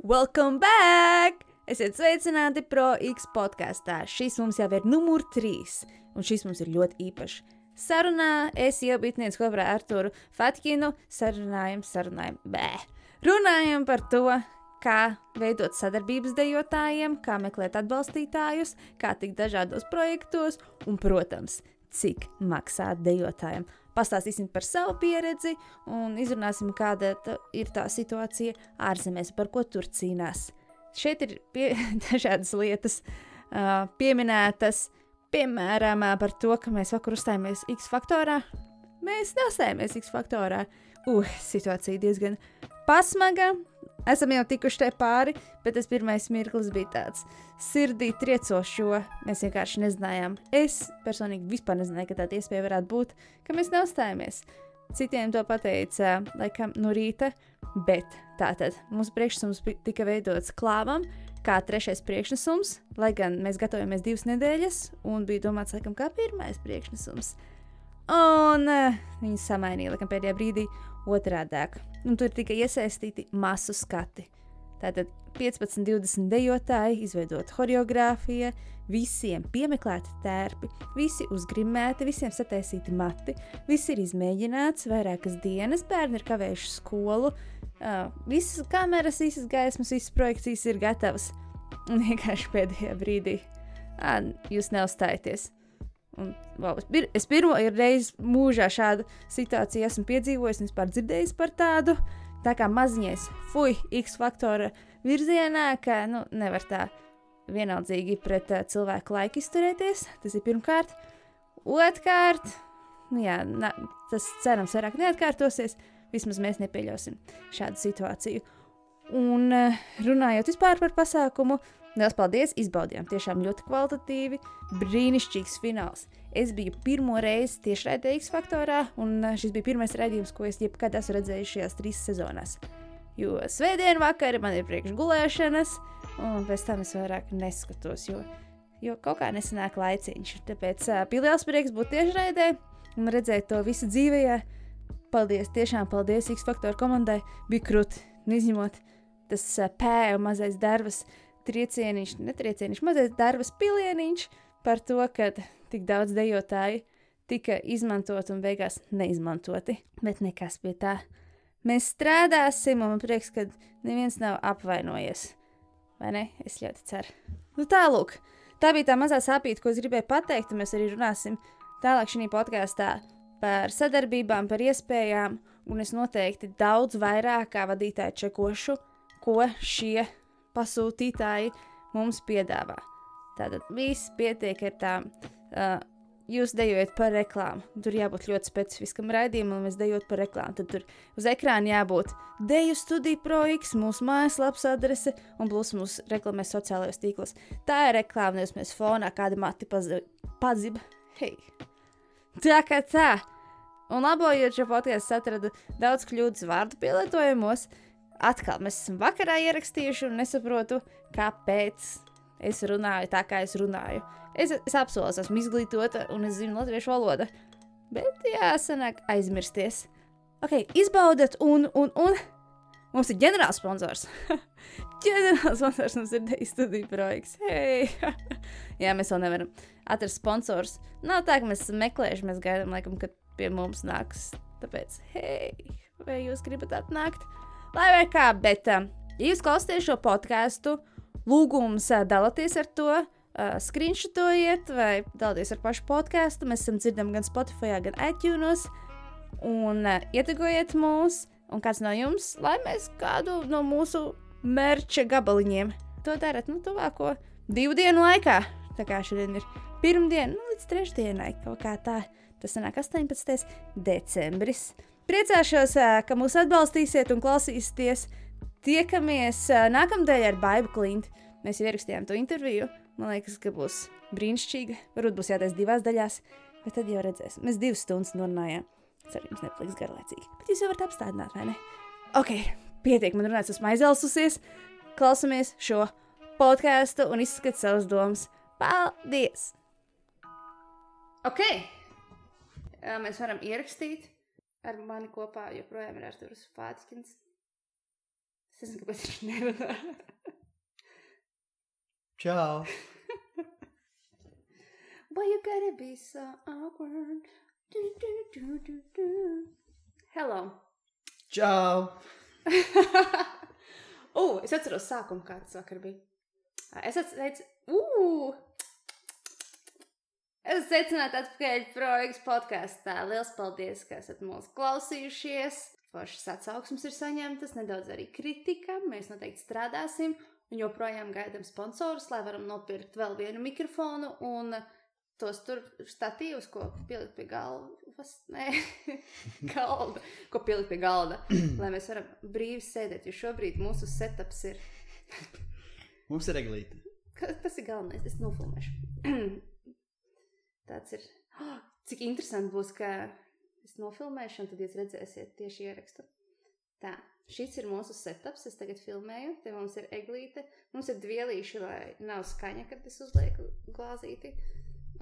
Welcome back! Esiet sveicināti Pro X podkastā. Šis mums jau ir numur 3, un šis mums ir ļoti īpašs. Sarunā es iebitnieci kopā ar Arturu Fatkinu runājam par to, kā veidot sadarbības dejotājiem, kā meklēt atbalstītājus, kā tikt dažādos projektos un, protams, cik maksā dejotājiem. Pastāstīsim par savu pieredzi un izrunāsim, kāda ir tā situācija ārzemēs, par ko tur cīnās. Šeit ir dažādas lietas pieminētas, piemēram, par to, ka mēs vakar uzstājāmies X faktorā. Mēs neuzstājāmies X faktorā. Situācija diezgan pasmaga. Esam jau tikuši te pāri, bet tas pirmais mirklis bija tāds sirdī triecošs, jo mēs vienkārši nezinājām. Es personīgi vispār nezināju, ka tāda iespēja varētu būt, ka mēs neuzstājāmies. Citiem to pateica, laikam, no rīta, bet tātad mūsu priekšnesums tika veidots klāvam, kā 3. priekšnesums, lai gan mēs gatavojamies 2 nedēļas, un bija domāts, laikam, kā 1. priekšnesums. Un viņi samainīja, laikam, pēdējā brīdī otrādāk. Un tur tika iesaistīti masu skati. Tātad 15-20 dejotāji, izveidot horeogrāfija, visiem piemeklēti tērpi, visi uzgrimēti, visiem sataisīti mati, viss ir izmēģināts, vairākas dienas, bērni ir kavējuši skolu, visas kameras, visas gaismas, visas projekcijas ir gatavas. Un vienkārši pēdējā brīdī jūs neuzstājaties. Un, es pirmo reizi mūžā šādu situāciju esmu piedzīvojis un vispār dzirdējis par tādu, tā kā maziņais X faktora virzienā, ka nevar tā vienaldzīgi pret cilvēku laiku izturēties. Tas ir pirmkārt. Otrkārt, tas cerams vairāk neatkārtosies, vismaz mēs nepieļausim šādu situāciju. Un runājot vispār par pasākumu, liels paldies, izbaudījām tiešām ļoti kvalitatīvi, brīnišķīgs fināls. Es biju pirmo reizi tieši raidē X faktorā, un šis bija pirmais raidījums, ko es jebkad esmu redzējis šajās 3 sezonās. Jo svētdien vakari man ir priekš gulēšanas, un pēc tam es vairāk neskatos, jo kaut kā nesanāk laiciņš. Tāpēc bija liels prieks būt tieši raidē un redzēt to visu dzīvējā. Paldies, tiešām paldies X faktora komandai, bija krūti, izņemot tas pēju mazais darbas, mazais darbas pilieniņš par to, ka tik daudz dejotāju tika izmantot un beigās neizmantoti. Bet nekas pie tā. Mēs strādāsim, un man prieks, ka neviens nav apvainojies. Vai ne? Es ļoti ceru. Tālūk. Tā bija tā mazā sāpīta, ko es gribēju pateikt, un mēs arī runāsim tālāk šī podkastā par sadarbībām, par iespējām, un es noteikti daudz vairāk kā vadītāji čekošu, ko šie pasūtītāji mums piedāvā. Tātad viss pietiek ar tām. Jūs dejojat par reklāmu. Tur jābūt ļoti specifiskam raidījumam, un mēs dejot par reklāmu. Tad tur uz ekrāna jābūt Deju studija Pro X, mūsu mājaslapas adrese un plus mūsu reklamēs sociālajos tīklos. Tā ir reklāma, nevis mēs fonā kādi mati padziba. Hei! Tā kā tā. Un labojot šo podcastu atradu daudz kļūdas vārdu pielietojumos. Atkal mēs esam vakarā ierakstījuši un nesaprotu, kāpēc es runāju tā, kā es runāju. Es apsolu, esmu izglītota un es zinu latviešu valodu. Bet sanāk aizmirsties. Ok, izbaudat un mums ir ģenerāls sponsors. Ģenerāls sponsors mums ir Deju studija Pro X. Hei! Jā, mēs vēl nevaram atrast sponsors. Nav tā, ka mēs esam meklējuši, mēs gaidām, laikam, kad pie mums nāks. Tāpēc, hei, vai jūs gribat atnākt? Lai vai kā, bet, ja jūs klausāties šo podcastu, lūgums dalāties ar to, screenshotojiet vai dalāties ar pašu podcastu. Mēs esam dzirdami gan Spotify, gan iTunes. Un ietegojiet mūs, un kāds no jums, lai mēs kādu no mūsu merča gabaliņiem to darat, tuvāko 2 dienu laikā. Tā kā šodien ir pirmdiena, līdz 3. dienai, kaut kā tā. Tas sanāk 18. decembris. Priecāšos, ka mūs atbalstīsiet un klausīsieties. Tiekamies nākamdēļ ar Baibu Klinti. Mēs jau ierakstījām to interviju. Man liekas, ka būs brīnišķīga. Varbūt būs jātais 2 daļās, bet tad jau redzēsim. Mēs 2 stundas norunājām. Ceru, jums nepaliks garlaicīgi. Bet jūs jau varat apstādināt, vai ne? Ok, pietiek man runāt, esmu aizelsusies. Klausamies šo podcastu un izskat savas domas. Paldies! Ok. Mēs varam ierakstīt. Ar mani kopā joprojām ir Arturs Fatkins. Es nezinu, kāpēc viņš nerunā. Čau! Why you gotta be so awkward? Hello. Čau! Es atceros sākumu, kā tas vakar bija. Es sveicināti atpakaļ Projekts podkastā. Liels paldies, ka esat mūs klausījušies. Foršas atsauksmes ir saņemtas, nedaudz arī kritika. Mēs noteikti strādāsim un joprojām gaidām sponsorus, lai varam nopirkt vēl vienu mikrofonu un tos tur statīvus, ko pielikt pie galda, ko pielikt pie galda, lai mēs varam brīvi sēdēt, jo šobrīd mūsu setups ir... Mums ir eglīte. Tas ir galvenais, es nofilmēšu. Tāds ir... Cik interesanti būs, ka es nofilmēšu, un tad jūs redzēsiet tieši ierakstu. Tā, šis ir mūsu setups, es tagad filmēju, te mums ir eglīte, mums ir dvielīši, lai nav skaņa, kad es uzlieku glāzīti.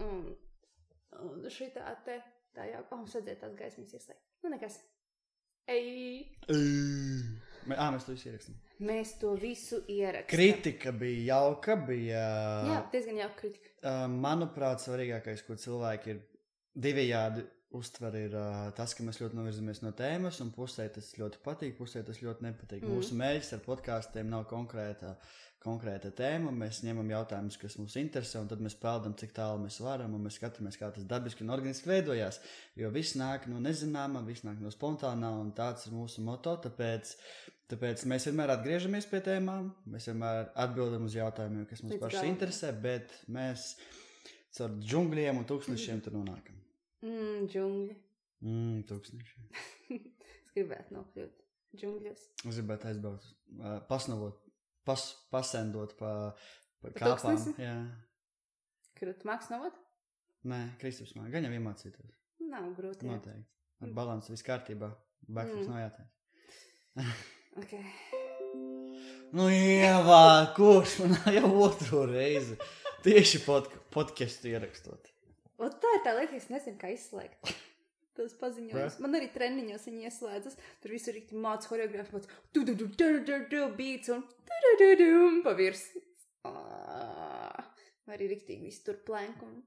Un šitā te, tā jau, mums vajadzēja tās gaismas ieslēgt. Nu, nekas. Mēs to visu ierakstām. Mēs to visu ierakstām. Kritika bija jauka, bija... Jā, diezgan jauka kritika. Manuprāt, svarīgākais, ko cilvēki ir divējādi uztver, ir tas, ka mēs ļoti novirzamies no tēmas, un pusē tas ļoti patīk, pusē tas ļoti nepatīk. Mūsu mērķis ar podkāstiem nav konkrēta tēma, mēs ņemam jautājumus, kas mums interesē, un tad mēs peldam, cik tālu mēs varam, un mēs skatāmies, kā tas dabiski un organiski veidojās, jo viss nāk no nezināmā, viss nāk no spontānā, un tāds ir mūsu moto, tāpēc mēs vienmēr atgriežamies pie tēmām, mēs vienmēr atbildam uz jautājumiem, kas mums paši interesē, bet mēs caur džungļiem un tūkstnešiem tur nonākam. Džungļi. Tūkstneši. Es gribētu nokļūt džungļos. Es gribētu aizbraukt, pasendot pa kāpām. Jā. Kur tu māks novot? Nē, Kristaps māk. Gan jau iemācītos. Nav grūti. Noteikti. Ar balansu viss kārtībā. Backflips nav jāteic. Ok. Nu, Ievā, kurš man jau otro reizi tieši podcastu ierakstot. Un tā ir tā lieta, es nezinu, kā izslēgt. Tas paziņojums. Man arī treniņos viņi ieslēdzas. Tur visu rīkti māc horeogrāfi, māc beats un pa virs. Vai arī riktīgi visu tur plank un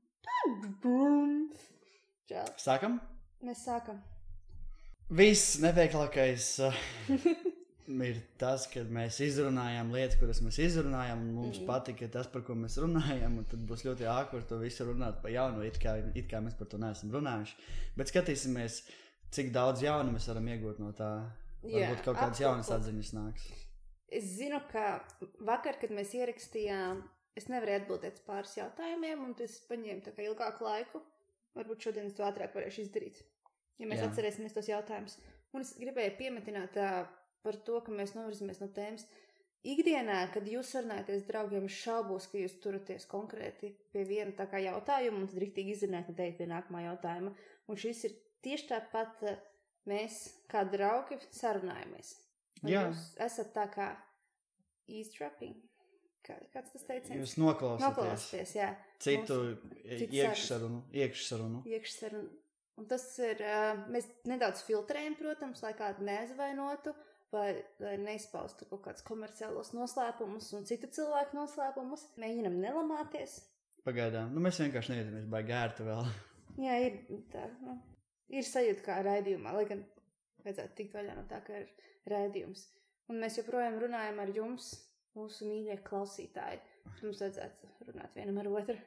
čāl. Sākam? Mēs sākam. Viss neveiklākais ir tas, kad mēs izrunājām lietas, kuras mēs izrunājām, un mums patika tas, par ko mēs runājām, un tad būs ļoti ākvar to visu runāt pa jaunu, it kā mēs par to neesam runājuši. Bet skatīsimies, cik daudz jaunu mēs varam iegūt no tā. Varbūt kaut kādas jaunas atziņas nāks. Es zinu, ka vakar, kad mēs ierakstījām, es nevarēju atbildēt pāris jautājumiem, un tas paņēma tā kā ilgāku laiku. Varbūt šodien es to ātrāk varēšu izdarīt, ja mēs atcerēsimies tos jautājumus. Un es gribēju piemetināt par to, ka mēs novirzamies no tēmas. Ikdienā, kad jūs sarunājaties draugiem, es šaubos, ka jūs turaties konkrēti pie viena tā kā jautājuma, un tad riktīgi izrunāt, un teikt pie nākamā jautājuma. Un šis ir tieši tāpat mēs, kā draugi, sarunājamies. Vai jūs esat tā kā eavesdropping? Kāds tas teiciens? Jūs noklausāties, jā. Citu iekšsarunu. Un tas ir, mēs nedaudz filtrējam, protams, lai kādu neaizvainotu, vai neizpaustu kaut kādus komerciālos noslēpumus un citu cilvēku noslēpumus. Mēģinam nelamāties. Pagaidām. Mēs vienkārši neiedamies baigi ērti vēl. Jā, ir tā. Ir sajūta kā raidījumā, lai gan vajadzētu tikt vaļā no tā, ka ir raidījums. Un mēs joprojām runājam ar jums, mūsu mīļie klausītāji. Mums vajadzētu runāt vienam ar otru.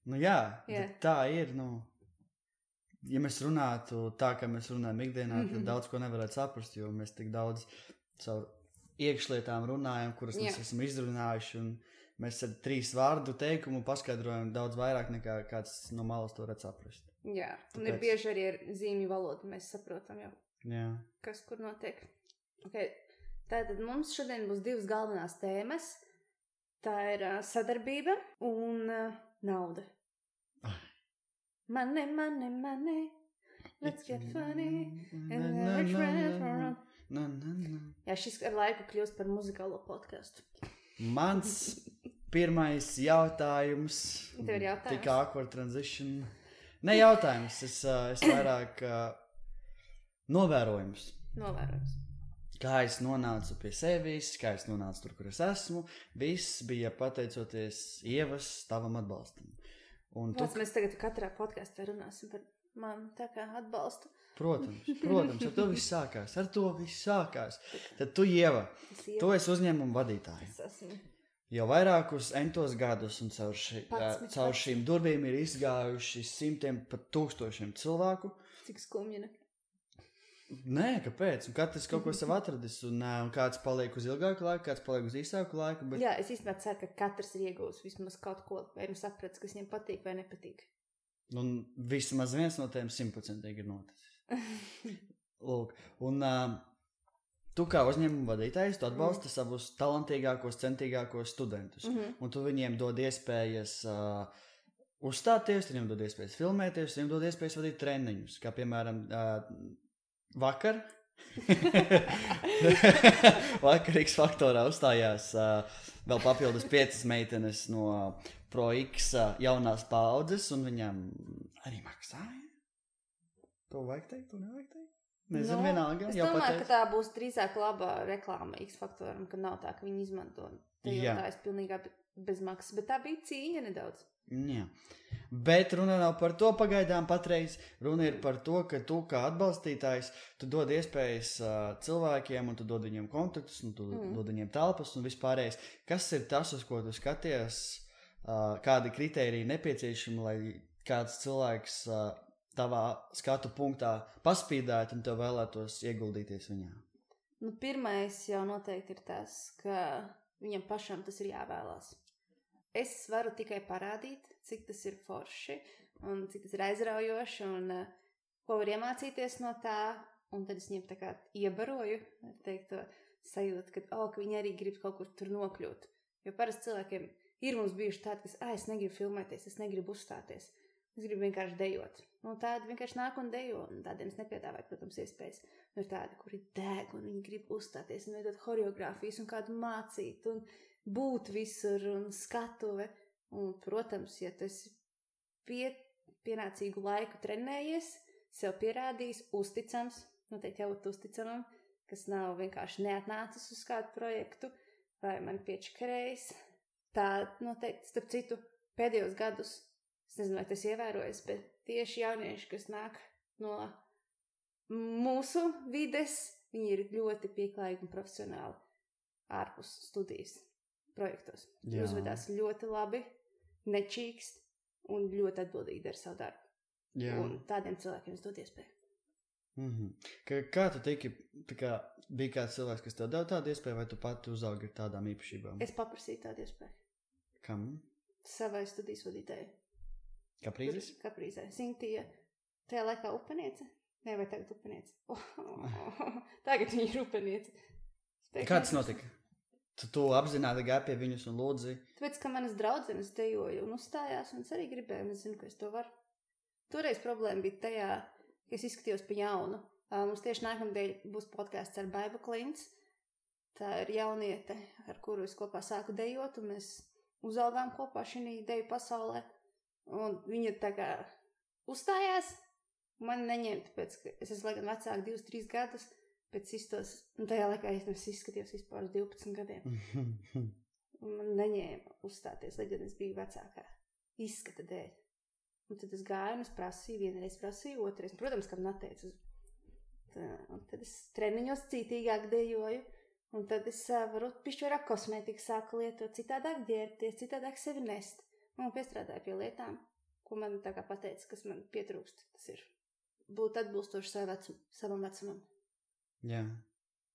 Nu jā. Tā ir, ja mēs runātu tā, kā mēs runājam ikdienā, tad daudz ko nevarētu saprast, jo mēs tik daudz savu iekšlietām runājam, kuras mēs esam izrunājuši, un mēs ar 3 vārdu teikumu paskaidrojam daudz vairāk nekā kāds no malas to redz saprast. Jā, un ir bieži arī ar zīmju valodu, mēs saprotam jau, kas kur notiek. Okay. Tātad mums šodien būs 2 galvenās tēmas. Tā ir sadarbība un nauda. Money, money, money, let's get funny. Jā, šis ar laiku kļūst par muzikālo podcastu. Mans pirmais jautājums. Tev ir jautājums? Tik awkward transition. Ne jautājums, es vairāk novērojums. kā es nonācu pie sevis, kā es nonācu tur, kur es esmu. Viss bija pateicoties Ievas tavam atbalstam. Un Mēs tagad katrā podkastā runāsim par mani tā kā atbalstu. Protams, ar to viss sākās. Tad tu, Ieva, tu esi uzņēmuma vadītāja. Es esmu. Jau vairākus entos gadus un caur šīm durvīm ir izgājuši simtiem pat tūkstošiem cilvēku. Cik skumji, ne? Nē, kāpēc? Un katrs kaut ko sev atradis, un kāds paliek uz ilgāku laiku, kāds paliek uz īsāku laiku. Bet... Jā, es īstenībā ceru, ka katrs ir iegūs vismaz kaut ko, vai nu sapratis, kas viņam patīk vai nepatīk. Un vismaz viens no tiem 100% ir noticis. Lūk, un tu kā uzņēmuma vadītājs, tu atbalsti savus talantīgākos, centīgākos studentus. Un tu viņiem dod iespējas uzstāties, viņiem dod iespējas filmēties, viņiem dod iespējas vadīt treniņus, kā piemēram... Vakar X faktorā uzstājās vēl papildus 5 meitenes no Pro X jaunās paudzes, un viņām arī maksāja. To vajag teikt, to nevajag teikt? Nezinu, vienalga. Es domāju, ka tā būs drīzāk labā reklāma X faktoram, ka nav tā, ka viņi izmanto tajotājs pilnīgā bez maksas, bet tā bija cīņa nedaudz. Jā, bet runa nav par to pagaidām patreiz, runa ir par to, ka tu kā atbalstītājs, tu dod iespējas cilvēkiem, un tu dod viņiem kontaktus, un tu dod viņiem telpas un vispārējais. Kas ir tas, uz ko tu skaties, kādi kritēriji nepieciešami, lai kāds cilvēks tavā skatu punktā paspīdētu un tev vēlētos ieguldīties viņā? Nu, pirmais jau noteikti ir tas, ka viņam pašam tas ir jāvēlās. Es varu tikai parādīt, cik tas ir forši un cik tas ir aizraujoši un ko var iemācīties no tā. Un tad es viņiem tā kā iebaroju, teikt, to sajūtu, ka viņi arī grib kaut kur tur nokļūt. Jo parasti cilvēkiem ir mums bijuši tādi, kas, es negribu filmēties, es negribu uzstāties. Es gribu vienkārši dejot. Nu, tādi vienkārši nāk un dejo, un tādiem es nepiedāvāju, protams, iespējas. Nu, ir tādi, kuri deg, un viņi grib uzstāties, un veidot choreogrāfijas, un kādu mācīt, un būt visur, un skatuve. Un, protams, ja tu esi pienācīgu laiku trenējies, sev pierādījis, uzticams, noteikti jābūt uzticamam, kas nav vienkārši neatnācis uz kādu projektu, vai man piečakarējis. Tā noteikti, starp citu, pēdējos gadus, es nezinu, vai tas ievērojas, bet tieši jaunieši, kas nāk no mūsu vides, viņi ir ļoti pieklājīgi un profesionāli ārpus studijas projektos. Jā. Uzvedās ļoti labi, nečīkst un ļoti atbildīgi dara savu darbu. Jā. Un tādiem cilvēkiem es dod iespēju. Kā tu tiki, bija kāds cilvēks, kas tev deva tādu iespēju, vai tu pati uzaugi ar tādām īpašībām? Es paprasīju tādu iespēju. Kam? Savai studijas vadītājai. Kaprīzes? Kaprīzē. Sintija, tajā laikā upeniece? Nē, vai tagad upeniece? Tagad viņa ir upeniece. Kā tas notika? Tu apzināti gāji pie viņus un lūdzi? Tāpēc, ka manas draudzenes dejoja un uzstājās, un es arī gribēju, un es zinu, ka es to varu. Toreiz problēma bija tajā, ka es izskatījos pa jaunu. Mums tieši nākamdēļ būs podcasts ar Baibu Klints. Tā ir jauniete, ar kuru es kopā sāku dejot, un mēs uzaugām kopā šī deju pasaulē. Un viņa tā kā uzstājās, man neņēma, tāpēc, ka es esmu laikam vecāka 2-3 gadus, pēc izstos, un tajā laikā es izskatījos vispār uz 12 gadiem. Un man neņēma uzstāties, lai gan es biju vecākā izskata dēļ. Un tad es gāju un es prasīju, vienreiz prasīju, otrais, protams, kam neteicu. Un tad es treniņos cītīgāk dejoju, un tad es varu pišķirāk kosmētiku sāku lietot, citādāk ģērbties, citādāk sevi nest. Un piestrādāju pie lietām, ko man tā kā pateica, kas man pietrūkst. Tas ir būt atbilstoši savam vecumam. Jā.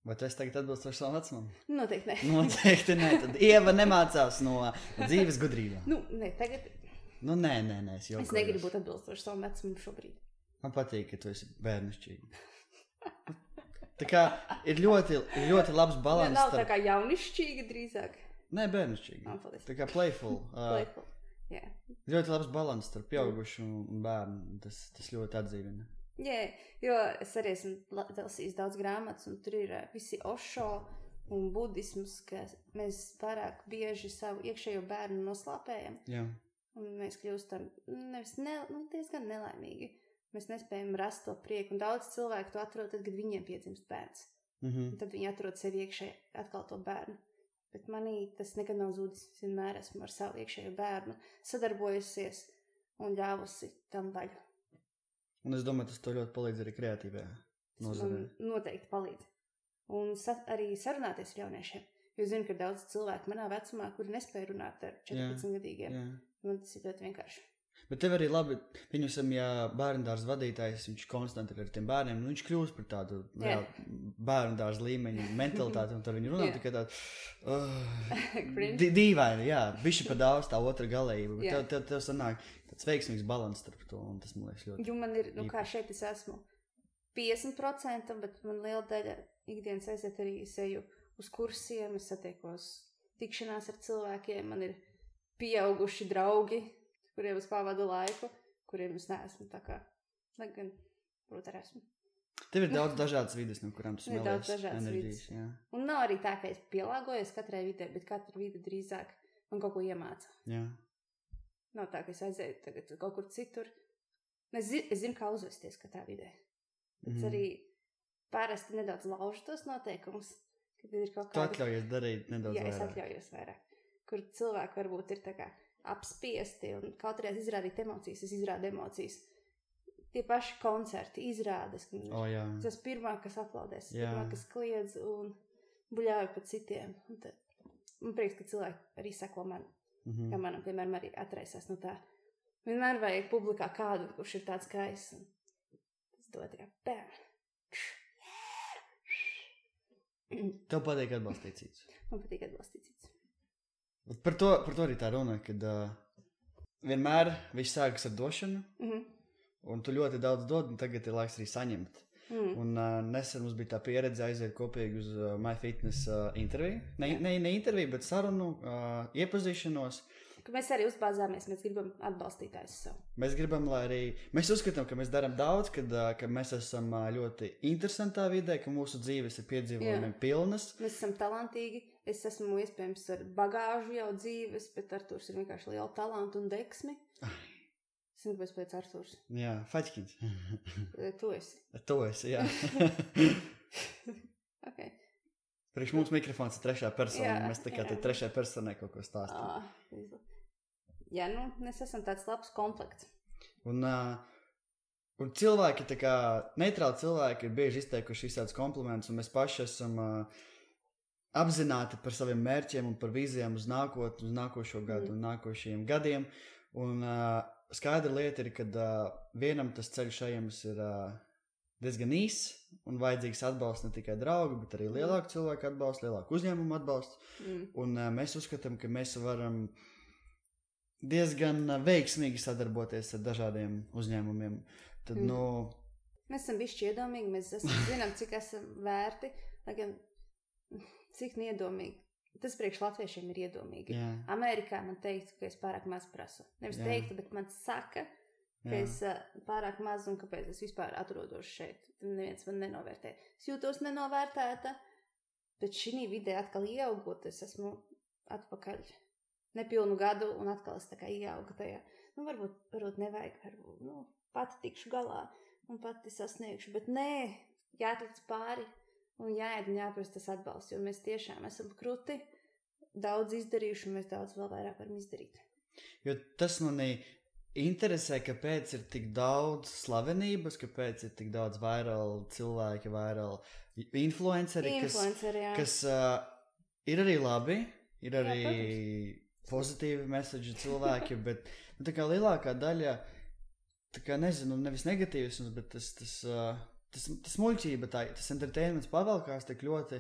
Vai tu esi tagad atbilstoši savam vecumam? Noteikti ne. Noteikti ne. Tad Ieva nemācās no dzīves gudrībām. Ne, tagad... Nē, es jokojos. Es negribu būt atbilstoši savam vecumam šobrīd. Man patīk, ka tu esi bērnišķīga. Tā kā ir ļoti labs balans. Nav tā kā jaunišķīga drīzāk. Nē, bērnišķīga. Tā kā playful. Playful. Yeah. Ļoti labs balans starp pieaugušu un bērnu. Tas ļoti atdzīvina. Jā, jo es arī esmu lasījis daudz grāmatas, un tur ir visi Osho un budisms, ka mēs pārāk bieži savu iekšējo bērnu noslāpējam. Jā. Un mēs kļūstam diezgan nelaimīgi. Mēs nespējam rast to prieku, un daudz cilvēku to atrod tad, kad viņiem piedzimst bērns. Un tad viņi atrod sevi iekšē atkal to bērnu. Bet manī tas nekad nav zudis. Es vienmēr esmu ar savu iekšējo bērnu sadarbojusies un ļāvusi tam vaļu. Un es domāju, tas to ļoti palīdz arī kreatīvajā nozarē. Man noteikti palīdz. Un arī sarunāties ar jauniešiem. Jo zinu, ka daudz cilvēku manā vecumā, kuri nespēja runāt ar 14-gadīgiem. Man tas ir ļoti vienkārši. Bet tev arī labi, viņam, ja bērndārs vadītājs, viņš konstanti ar tiem bērniem, viņš kļūst par tādu bērndārs līmeņu mentalitāti, un tad viņi runā tikai tādu dīvaini, bišķi pa daudz tā otra galējība, bet tev sanāk tāds veiksmīgs balans starp to, un tas man liekas ļoti. Jo man ir, kā šeit es esmu 50%, bet man liela daļa ikdienas aiziet arī seju uz kursiem, es satiekos tikšanās ar cilvēkiem, man ir pieauguši draugi, kuriem es pavadu laiku, kuriem es neesmu tā kā, lai gan, protams, esmu. Tev ir daudz dažādas vides, no kurām tu smēlies enerģijas. Un nav arī tā, ka es pielāgojos katrai vidē, bet katra vide drīzāk man kaut ko iemāca. Nav tā, ka es aizēju tagad kaut kur citur. Es zinu, kā uzvesties katrā vidē. Bet arī parasti nedaudz laužu tos noteikumus, kad ir kaut kāda... Tu atļaujies darīt nedaudz vairāk. Jā, es atļaujos vairāk. Kur cilvēki varbūt ir tā kā apspiesti un kaut arī izrādīt emocijas, es izrādu emocijas. Tie paši koncerti, izrādes. Tas pirmā, kas aplaudēs, pirmā, kas kliedz un buļāju pa citiem. Un tad, man prieks, ka cilvēki arī seko man, kā manam, piemēram, arī atraisās no tā. Vienmēr vajag publikā kādu, kurš ir tāds skaists. Tas dod kā bēr. Tev patīk atbalstīt citus? Man patīk atbalstīt citus. Par to arī tā runa, kad vienmēr viss sākas ar došanu, un tu ļoti daudz dod, un tagad ir laiks arī saņemt. Un nesen mums bija tā pieredze aiziet kopīgi uz MyFitness interviju. Ne interviju, bet sarunu, iepazīšanos. Ka mēs arī uzbāzāmies, mēs gribam atbalstītājus savu. Mēs gribam, lai arī, mēs uzskatām, ka mēs darām daudz, ka mēs esam ļoti interesantā vidē, ka mūsu dzīves ir piedzīvojumiem pilnas. Mēs esam talantīgi, es esmu iespējams ar bagāžu jau dzīves, bet Arturs ir vienkārši liela talanta un deksmi. Es nezinu, kāpēc pēc Arturs. Jā, Faķkins. Tu esi. Tu esi, jā. Ok. Priekš mums mikrofons ir trešā persona, mēs tikai trešajā personai kaut ko stāstam. Jā, mēs esam tāds labs komplekts. Un cilvēki, tā kā neitrāli cilvēki ir bieži izteikuši visādus komplimentus, un mēs paši esam apzināti par saviem mērķiem un par vīzijām uz nākotni, uz nākošo gadu un nākošajiem gadiem. Un skaidra lieta ir, kad vienam tas ceļš ejams ir diezgan īss un vajadzīgs atbalsts ne tikai draugu, bet arī lielāku cilvēku atbalstu, lielāku uzņēmumu atbalstu. Un mēs uzskatām, ka mēs varam diezgan veiksmīgi sadarboties ar dažādiem uzņēmumiem. Tad, Mēs esam bišķi iedomīgi, mēs zinām, cik esam vērti, lai gan cik neiedomīgi. Tas priekš latviešiem ir iedomīgi. Amerikā man teiktu, ka es pārāk maz prasu. Nevis teiktu, bet man saka, ka es pārāk maz un kāpēc es vispār atrodos šeit. Neviens man nenovērtē. Es jūtos nenovērtēta, bet šī vidē atkal ieaugot, es esmu atpakaļ nepilnu gadu un atkal es tā kā ieaugu tajā. Varbūt nevajag, pati tikšu galā un pati sasniegšu, bet nē, jāatlic pāri un jāiet un jāprast tas atbalsts, jo mēs tiešām esam kruti, daudz izdarījuši un mēs daudz vēl vairāk varam izdarīt. Jo tas manī interesē, kāpēc ir tik daudz slavenības, kāpēc ir tik daudz viral cilvēki, viral influenceri, kas ir arī labi, ir arī pozitīvi meseģi cilvēki, bet tā kā lielākā daļa, tā kā nezinu, nevis negatīvisms, bet tas muļķība, tas entertainments pavelkās tik ļoti,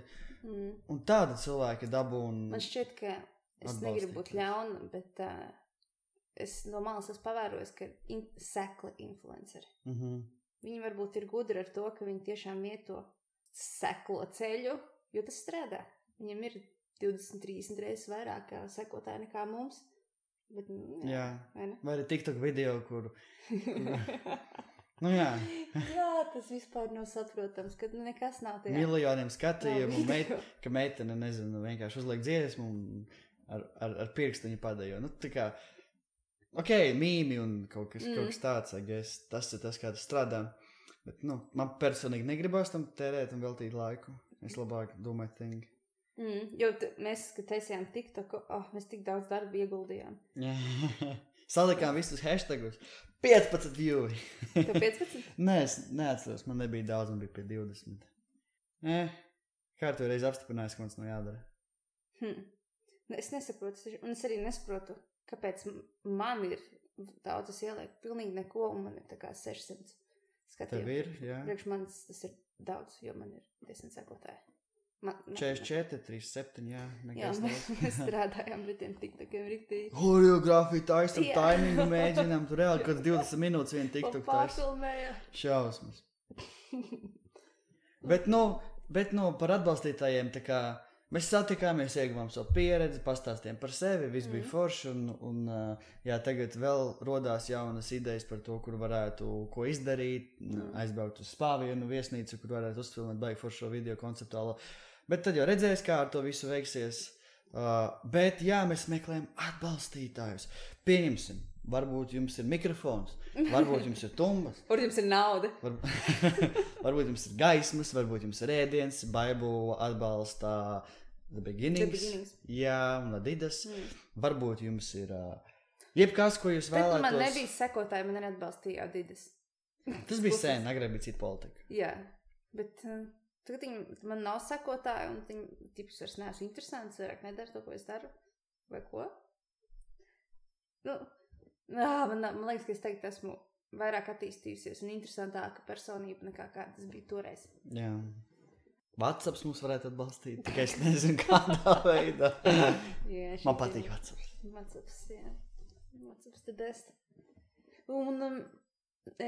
un tāda cilvēki dabū un man šķiet, ka es negribu būt ļauna, bet es no malas esmu pavērojis, ka sekli influenceri. Viņi varbūt ir gudri ar to, ka viņi tiešām iet to seklo ceļu, jo tas strādā. Viņam ir 20-30 reizes vairāk sekotāji nekā mums. Bet, vai arī TikTok video, kur tas vispār nav saprotams, ka nekas nav tajā. Miljoniem skatījumu, ka meitene, nezinu, vienkārši uzliek dziesmu un ar pirkstiņu padējo. Tā kā mīmi un kaut kas tāds, tas ir tas, kā tas strādā. Bet, man personīgi negribās tam tērēt un veltīt laiku. Es labāk do my thing. Jo mēs, kad taisījām TikToku, mēs tik daudz darba ieguldījām. Salikām visus hashtagus. 15 viewi. Tev 15? Nē, es neatceros. Man nebija daudz, man bija pie 20. Kārtu reiz apstiprinājis, ka mums nav jādara. Es nesaprotu. Un es arī nesaprotu, kāpēc man ir daudz, es ielieku pilnīgi neko, un man ir tā kā 600 skatījumu. Tev ir, jā. Priekš manis tas ir daudz, jo man ir 10 sekotāji. 44, 37, jā. Jā, mēs strādājām, bet tiem tiktokiem riktīgi. Horeogrāfija taisam, taimingu mēģinām. Tur reāli, kad 20 minūtes vien tiktok taisam. Pārfilmēja. Šausmas. Bet par atbalstītājiem, tā kā mēs satikāmies, ieguvām savu pieredzi, pastāstījām par sevi, viss bija forši, un tagad vēl rodās jaunas idejas par to, kur varētu ko izdarīt, aizbraukt uz Spāvienu viesnīcu, kur varētu uzfilmēt baigi foršo video konceptuālo. Bet tad jau redzēs, kā ar to visu veiksies. Bet jā, mēs meklējam atbalstītājus. Pieņemsim, varbūt jums ir mikrofons, varbūt jums ir tumbas. Varbūt jums ir nauda. Varbūt jums ir gaismas, varbūt jums ir ēdiens, Bible atbalsta The Beginnings. Jā, un Adidas. Varbūt jums ir jebkas, ko jūs vēlētos. Bet man nebija sekotāji, man arī atbalstīja Adidas. Tas bija sen, agrāk bija cita politika. Jā, bet tagad man nav sekotāji, un viņi tipus vairs neesmu interesants, vairāk nedara to, ko es daru. Vai ko? Man liekas, ka es tagad esmu vairāk attīstījusies un interesantāka personība nekā kā tas bija toreiz. Jā. WhatsApps mums varētu atbalstīt, tikai es nezinu, kādā veidā. Jā, man patīk WhatsApps. WhatsApps, jā. WhatsApps the best. Un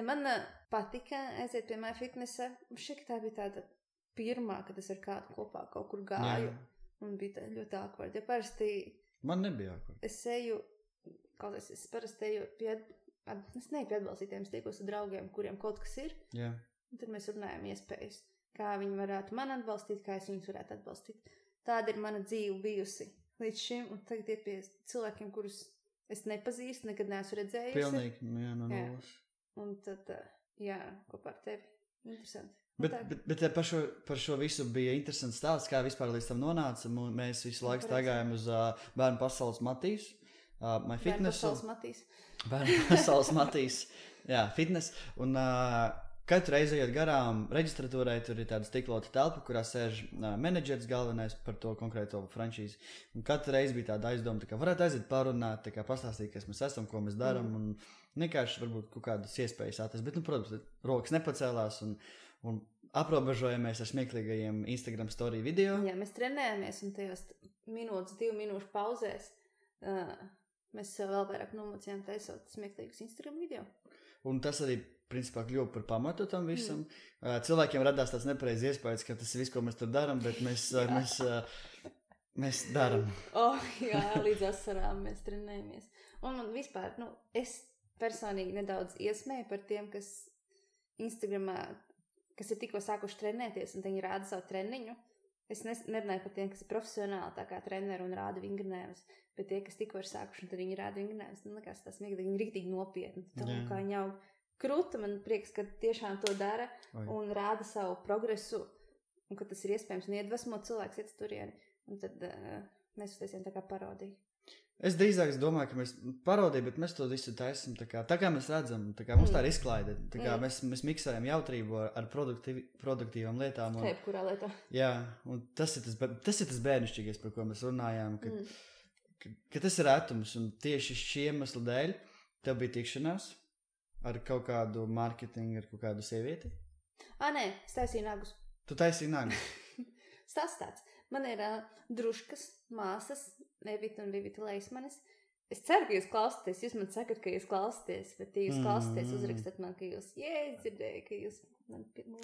man patika aiziet pie MyFitnessa. Šķiet, tā bija tāda pirmā, kad es ar kādu kopā kaut kur gāju. Jā. Un bija tā ļoti awkward. Ja parasti man nebija awkward. Es parasti eju pie atbalstītājiem, es tiekos ar draugiem, kuriem kaut kas ir. Jā. Un tad mēs runājam iespējas, kā viņi varētu man atbalstīt, kā es viņus varētu atbalstīt. Tāda ir mana dzīve bijusi līdz šim, un tagad ir pie cilvēkiem, kurus es nepazīstu, nekad neesmu redzējusi. Pilnīgi, jā, no nulles. Un tad, kopā ar tevi. Interesanti. Bet par šo visu bija interesants stāsts, kā vispār līdz tam nonāca. Mēs visu laiku staigājām uz Bērnu pasaules Matīs. Bērnu pasaules Matīs. Bērnu pasaules Matīs. Jā, fitness. Un katru reizi ejot garām reģistratūrai, tur ir tāda stiklota telpa, kurā sēž menedžers galvenais par to konkrēto franšīzi. Un katru reizi bija tāda aizdoma, tā kā varētu aiziet parunāt, tā kā pastāstīt, kas mēs esam, ko mēs darām. Un vienkārši varbūt kaut kādas iespējas atrast. Bet, protams, rokas nepacēlās un aprobežojamies ar smieklīgajiem Instagram story video. Jā, mēs trenējamies un tajos 2 minūšu pauzēs mēs vēl vairāk nomocījām taisot smieklīgus Instagram video. Un tas arī, principā, kļuva par pamatu tam visam. Cilvēkiem radās tāds nepareiz iespējas, ka tas ir viss, ko mēs tur darām, bet mēs darām. Jā, līdz asarām mēs trenējamies. Un man vispār, es personīgi nedaudz iesmēju par tiem, kas Instagramā, kas ir tikko sākuši trenēties un viņi rāda savu treniņu. Es nerunāju par tiem, kas ir profesionāli tā kā treneri un rāda vingrinājumus, bet tie, kas tikko ir sākuši un tad viņi rāda vingrinājumus, likās tas smieklīgi, viņi riktīgi nopietni. Kā viņi jau kruta, man prieks, ka tiešām to dara un rāda savu progresu un ka tas ir iespējams un iedvesmo cilvēks iet turieni. Un tad mēs uztaisījām tā kā parodiju. Es drīzāk domāju, ka mēs parodījām, bet mēs to visu taisam tā kā mēs redzam, tā kā mums tā ir izklaide. Tā kā mēs miksējam jautrību ar produktīvām lietām. Un, kurā lietā? Jā, un tas ir tas bērnišķīgais, par ko mēs runājām, ka tas ir retums, un tieši šī iemesla dēļ tev bija tikšanās ar kaut kādu mārketingu, ar kaut kādu sievieti? Nē, es taisīju nagus. Tu taisīji nagus? Stāsts tāds. Man ir druškas, māsas, Evita un Vivita Leismanis. Es ceru, ka jūs klausāties. Jūs man sakat, ka jūs klausāties, bet ja jūs klausāties, uzrakstat man, ka jūs dzirdēju, ka jūs...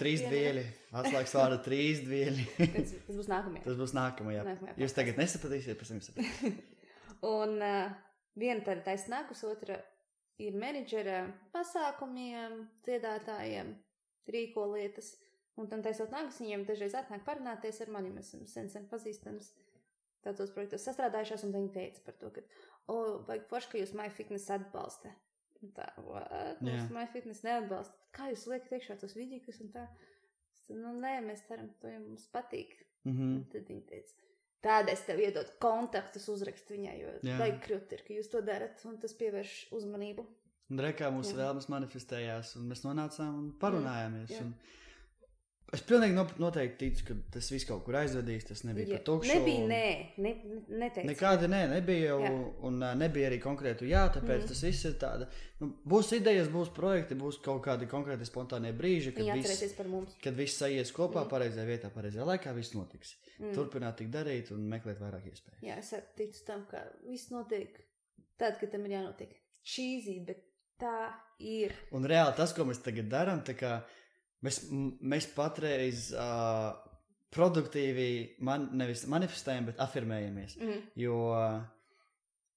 Trīsdvieļi. Atslēgas vārda trīsdvieļi. Tas būs nākamajā. Tas būs nākamajā. Jūs tagad nesapratīsiet, pēc tam jūs sapratīsiet. Un viena tāda taisa nagus, otra ir menedžera pasākumiem, dziedātājiem, rīko lietas. Un tam taisot nagus, viņiem dažreiz atnāk parunāties ar mani. Mēs esam sen pazīstams tādos projektos sastrādājušās, un viņi teica par to, ka, vajag forši, ka jūs MyFitness atbalsta. Un tā, MyFitness neatbalsta. Kā jūs liekat iekšā tos vidīkus un tā? nē, mēs ceram, to jums patīk. Un tad viņi teica, tāda es tev iedot kontaktus uzrakst viņai, jo vajag krūt ir, ka jūs to darat, un tas pievērš uzmanību. Un rekā mūsu vēlmes manifestējās, un mēs nonācām un parunājāmies. Un es pilnīgi noteikti ticu, ka tas viss kaut kur aizvedīs, tas nebija par tukšu. Nebija neteicu. Nekāda nebija, un nebija arī konkrētu tāpēc tas viss ir tāda, būs idejas, būs projekti, būs kaut kādi konkrēti spontānie brīži, kad viss sajies kopā, pareizajā vietā, pareizajā laikā, viss notiks. Turpināt tik darīt un meklēt vairāk iespēju. Jā, es ticu tam, ka viss notiek tad, kad tam ir jānotiek. Cheesy, bet tā ir. Un reāli tas, ko mēs tagad darām, tā kā mēs patreiz produktīvi nevis manifestējam, bet afirmējamies. Jo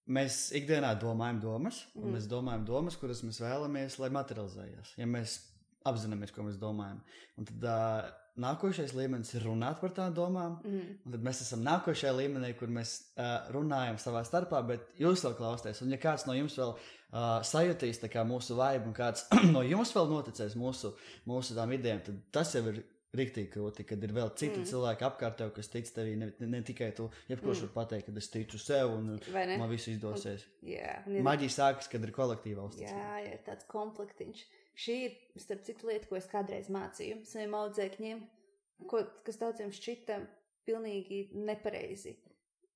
mēs ikdienā domājam domas, un mēs domājam domas, kuras mēs vēlamies, lai materializējas. Ja mēs apzināmies, ko mēs domājam. Un tad nākošais līmenis ir runāt par tām domām, un tad mēs esam nākošajā līmenī, kur mēs runājam savā starpā, bet jūs vēl klausties. Un ja kāds no jums vēl sajutīs tā kā mūsu vibe, un kāds no jums vēl noticēs mūsu tām idejām, tad tas jau ir riktīgi krūti, kad ir vēl citi cilvēki apkārt tev, kas tic tevī, ne tikai tu, jebkurš var pateikt, kad es ticu sev un man visu izdosies. Maģija sākas, kad ir kolektīva uzticība. Jā, ir tāds komplektiņš. Šī ir, starp citu lieta, ko es kādreiz mācīju saviem audzēkņiem, kas daudziem šķita pilnīgi nepareizi.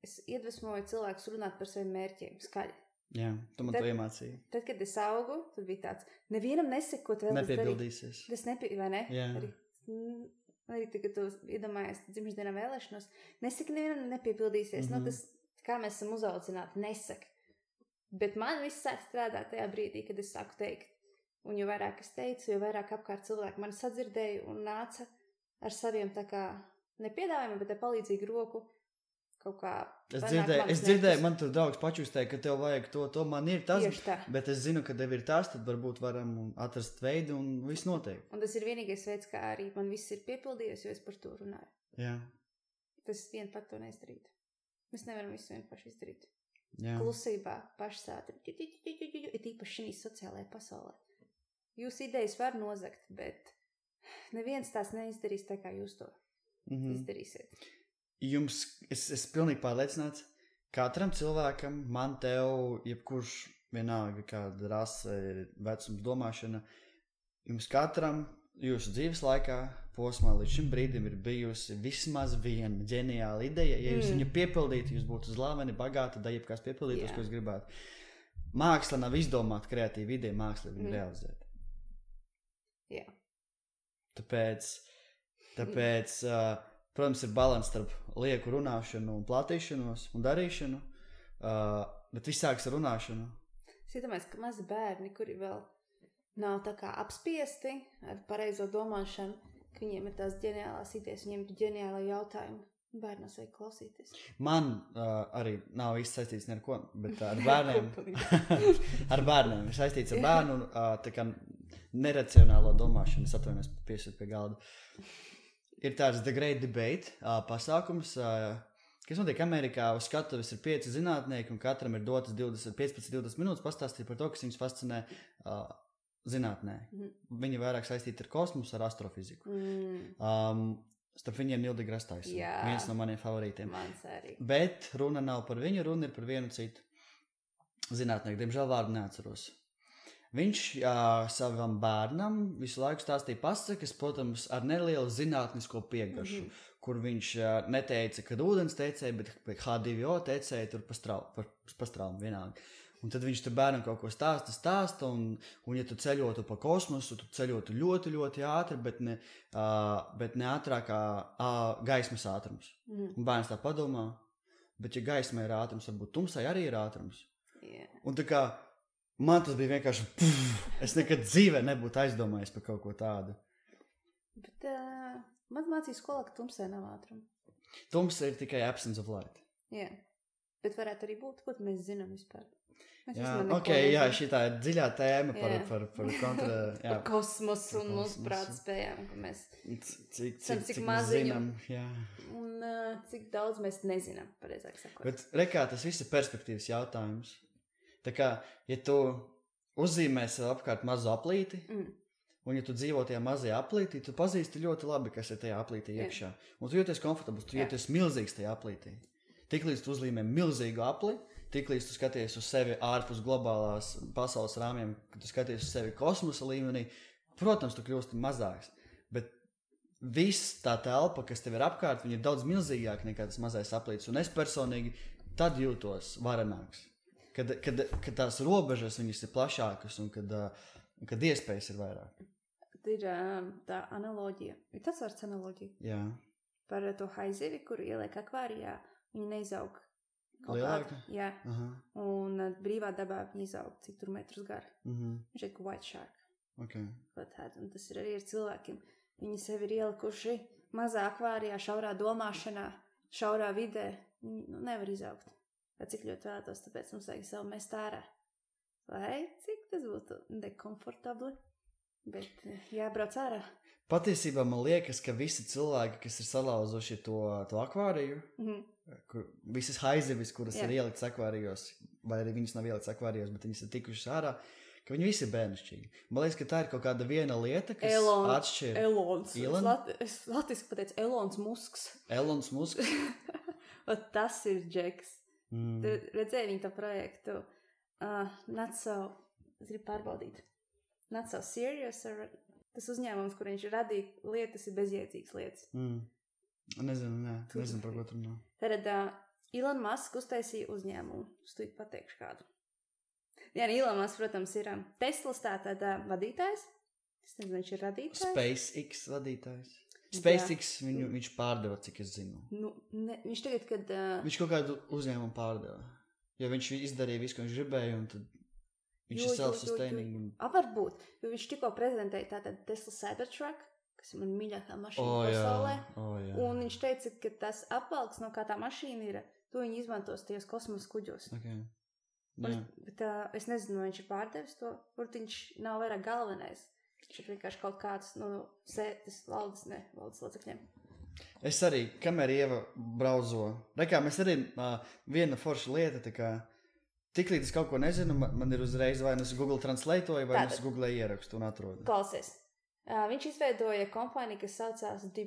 Es iedvesmoju cilvēkus runāt par saviem mērķiem skaļi. Jā, tu man to iemācīji. Tad, kad es augu, tad bija tāds, nevienam nesaka, ko tu vēl nepiebildīsies. Tas vai ne? Jā. Arī tagad tu iedomājies dzimšanas vēlēšanos, nesaka, nevienam nepiebildīsies. Tas, kā mēs esam uzaudzināti, nesaka. Bet man viss sāk strādāt tajā brīdī, kad es sāku teikt. Un jo vairāk es teicu, jo vairāk apkārt cilvēki mani sadzirdēja un nāca ar saviem tā kā nepiedāvājumiem, bet ar palīdzīgu roku kaut kā. Es dzirdēju, man tur draugs pačustēja, ka tev vajag to man ir tas, bet es zinu, ka tev ir tas, tad varbūt varam atrast veidu un viss notiek. Un tas ir vienīgais veids, kā arī man viss ir piepildījies, jo es par to runāju. Jā. Tas vien pat to neizdarīt. Mēs nevaram visu vien paši izdarīt. Jā. Klusībā, pašsātri, ir īpaši šī sociālajā pasaulē. Jūs idejas var nozagt, bet neviens tās neizdarīs tā, kā jūs to izdarīsiet. Es pilnīgi pārliecināts, katram cilvēkam, man tev, jebkurš vienalga kāda rasa, vecums, domāšana, jums katram jūsu dzīves laikā, posmā līdz šim brīdim ir bijusi vismaz viena ģeniāla ideja. Ja jūs viņu piepildītu, jūs būtu slaveni, bagāti, da jebkās piepildītos, ko jūs gribētu. Māksla nav izdomāta kreatīva ideja, māksla viņu realizēt. Jā. Tāpēc protams, ir balans starp lieku runāšanu un platīšanos un darīšanu, bet viss sāks ar runāšanu. Es iedomājos, ka mazi bērni, kuri vēl nav tā kā apspiesti ar pareizo domāšanu, ka viņiem ir tās ģeniālās idejas, viņiem ir ģeniāla jautājuma. Bērnos vajag klausīties. Man arī nav īsti saistīts ar ko, bet ar bērniem. Ar bērniem. Ir saistīts ar bērnu tā kā neracionālo domāšanu. Es atvainojos piesūt pie galda. Ir tāds The Great Debate pasākums, kas notiek Amerikā. Uz skatuves ir 5 zinātnieki un katram ir dotas 15-20 minūtes pastāstīt par to, kas viņus fascinē zinātnē. Viņi vairāk saistīti ar kosmosu, ar astrofiziku. Starp viņiem Nīl deGrasse Tyson, viens no maniem favorītiem. Mans arī. Bet runa nav par viņu, runa ir par vienu citu zinātnieku. Diemžēl vārdu neatceros. Viņš savam bērnam visu laiku stāstīja pasakas, protams, ar nelielu zinātnisko piegašu, kur viņš neteica, kad ūdens tecēja, bet H2O tecēja tur pa straumu vienalga. Un tad viņš tur bērnam kaut ko stāsta, un ja tu ceļotu pa kosmosu, tu ceļotu ļoti, ļoti ātri, bet ne ātrāk kā gaismas ātrums. Un bērns tā padomā, bet ja gaismai ir ātrums, varbūt tumsai arī ir ātrums. Un tā kā man tas bija vienkārši, es nekad dzīvē nebūtu aizdomājies par kaut ko tādu. Bet man mācīja skolā, ka tumsai nav ātruma. Tumsa ir tikai absence of light. Jā, bet varētu arī būt, ko mēs zinām vispār. Šī tā ir dziļā tēma par kontra... Par kosmosu un mūsu prāta spējām, ka mēs cik maz zinām. Un cik daudz mēs nezinām, pareizāk sakot. Bet rekā tas viss ir perspektīvas jautājums. Tā kā, ja tu uzzīmē sev apkārt mazu aplīti, Un, ja tu dzīvo tajā mazajā aplītī, tu pazīsti ļoti labi, kas ir tajā aplītī iekšā. Un tu jūties komfortabls, tu jūties milzīgs tajā aplītī. Tiklīdz tu uzlīmē milzīgu apli, tiklīdz tu skaties uz sevi ārpus globālās pasaules rāmjiem, kad tu skaties uz sevi kosmosa līmenī, protams, tu kļūsti mazāks. Bet viss tā telpa, kas tev ir apkārt, viņa ir daudz milzīgāka nekā tas mazais aplītis. Un es personīgi tad jūtos varenāks. Kad tās robežas viņas ir plašākas un kad iespējas ir vairāk. Ir tā analoģija. Ir tas vārds analoģija. Jā. Par to haizivi, kuru ieliek akvārijā, viņa neizaug. Lielāka? Jā. Aha. Un brīvā dabā viņa izaug, cik tur metrus gara. Viņš ir white shark. Okay. Un tas ir arī ar cilvēkiem. Viņi sevi ir ielikuši mazā akvārijā, šaurā domāšanā, šaurā vidē. Viņi nevar izaugt. Vai cik ļoti vēlētos, tāpēc mums vajag savu mest ārā. Vai cik tas būtu nekomfortabli? Bet jābrauc ārā. Patiesībā man liekas, ka visi cilvēki, kas ir salauzuši to akvāriju, kur visas haizivis, kuras ir ieliktas akvārijos, vai arī viņas nav ieliktas akvārijos, bet viņas ir tikušas ārā, ka viņi visi ir bērnišķīgi. Man liekas, ka tā ir kaut kāda viena lieta, kas atšķir. Elons. Es latviski pateicu Elons Musks. Elons Musks? Tas ir Džeks. Tu redzēji viņa to projektu. Es gribu pārbaudīt. Not so serious, tas uzņēmums, kur viņš radīja lietas, ir bezjēdzīgas lietas. Nezinu, par ko tur nav. Tad Elon Musk uztaisīja uzņēmumu. Es tu pateikšu kādu. Jā, Elon Musk, protams, ir Teslas tātad vadītājs. Es nezinu, viņš ir radītājs. SpaceX vadītājs. SpaceX viņš pārdeva, cik es zinu. Viņš tagad, kad... Viņš kaut kādu uzņēmumu pārdeva. Jo viņš izdarīja visu, ko viņš gribēja, un tad... Viņš ir self-sustaining. Varbūt, jo viņš tikko prezentēja tātad Tesla Cybertruck, kas ir man mīļākā mašīna pasaulē. Un viņš teica, ka tas apvalks, no kā tā mašīna ir, to viņi izmantos tajos kosmosa kuģos. Okay. Bet es nezinu, vai viņš ir pārdevis to, varbūt viņš nav vairāk galvenais. Viņš ir vienkārši kaut kāds sētas valdes locekļiem. Es arī, kamēr Ieva brauzo, mēs arī viena forša lieta, tā kā tiklīdz es kaut ko nezinu, man ir uzreiz vai es Google translatoju, vai es Google ierakstu un atrodu. Klausies. Viņš izveidoja kompāniju, kas saucās The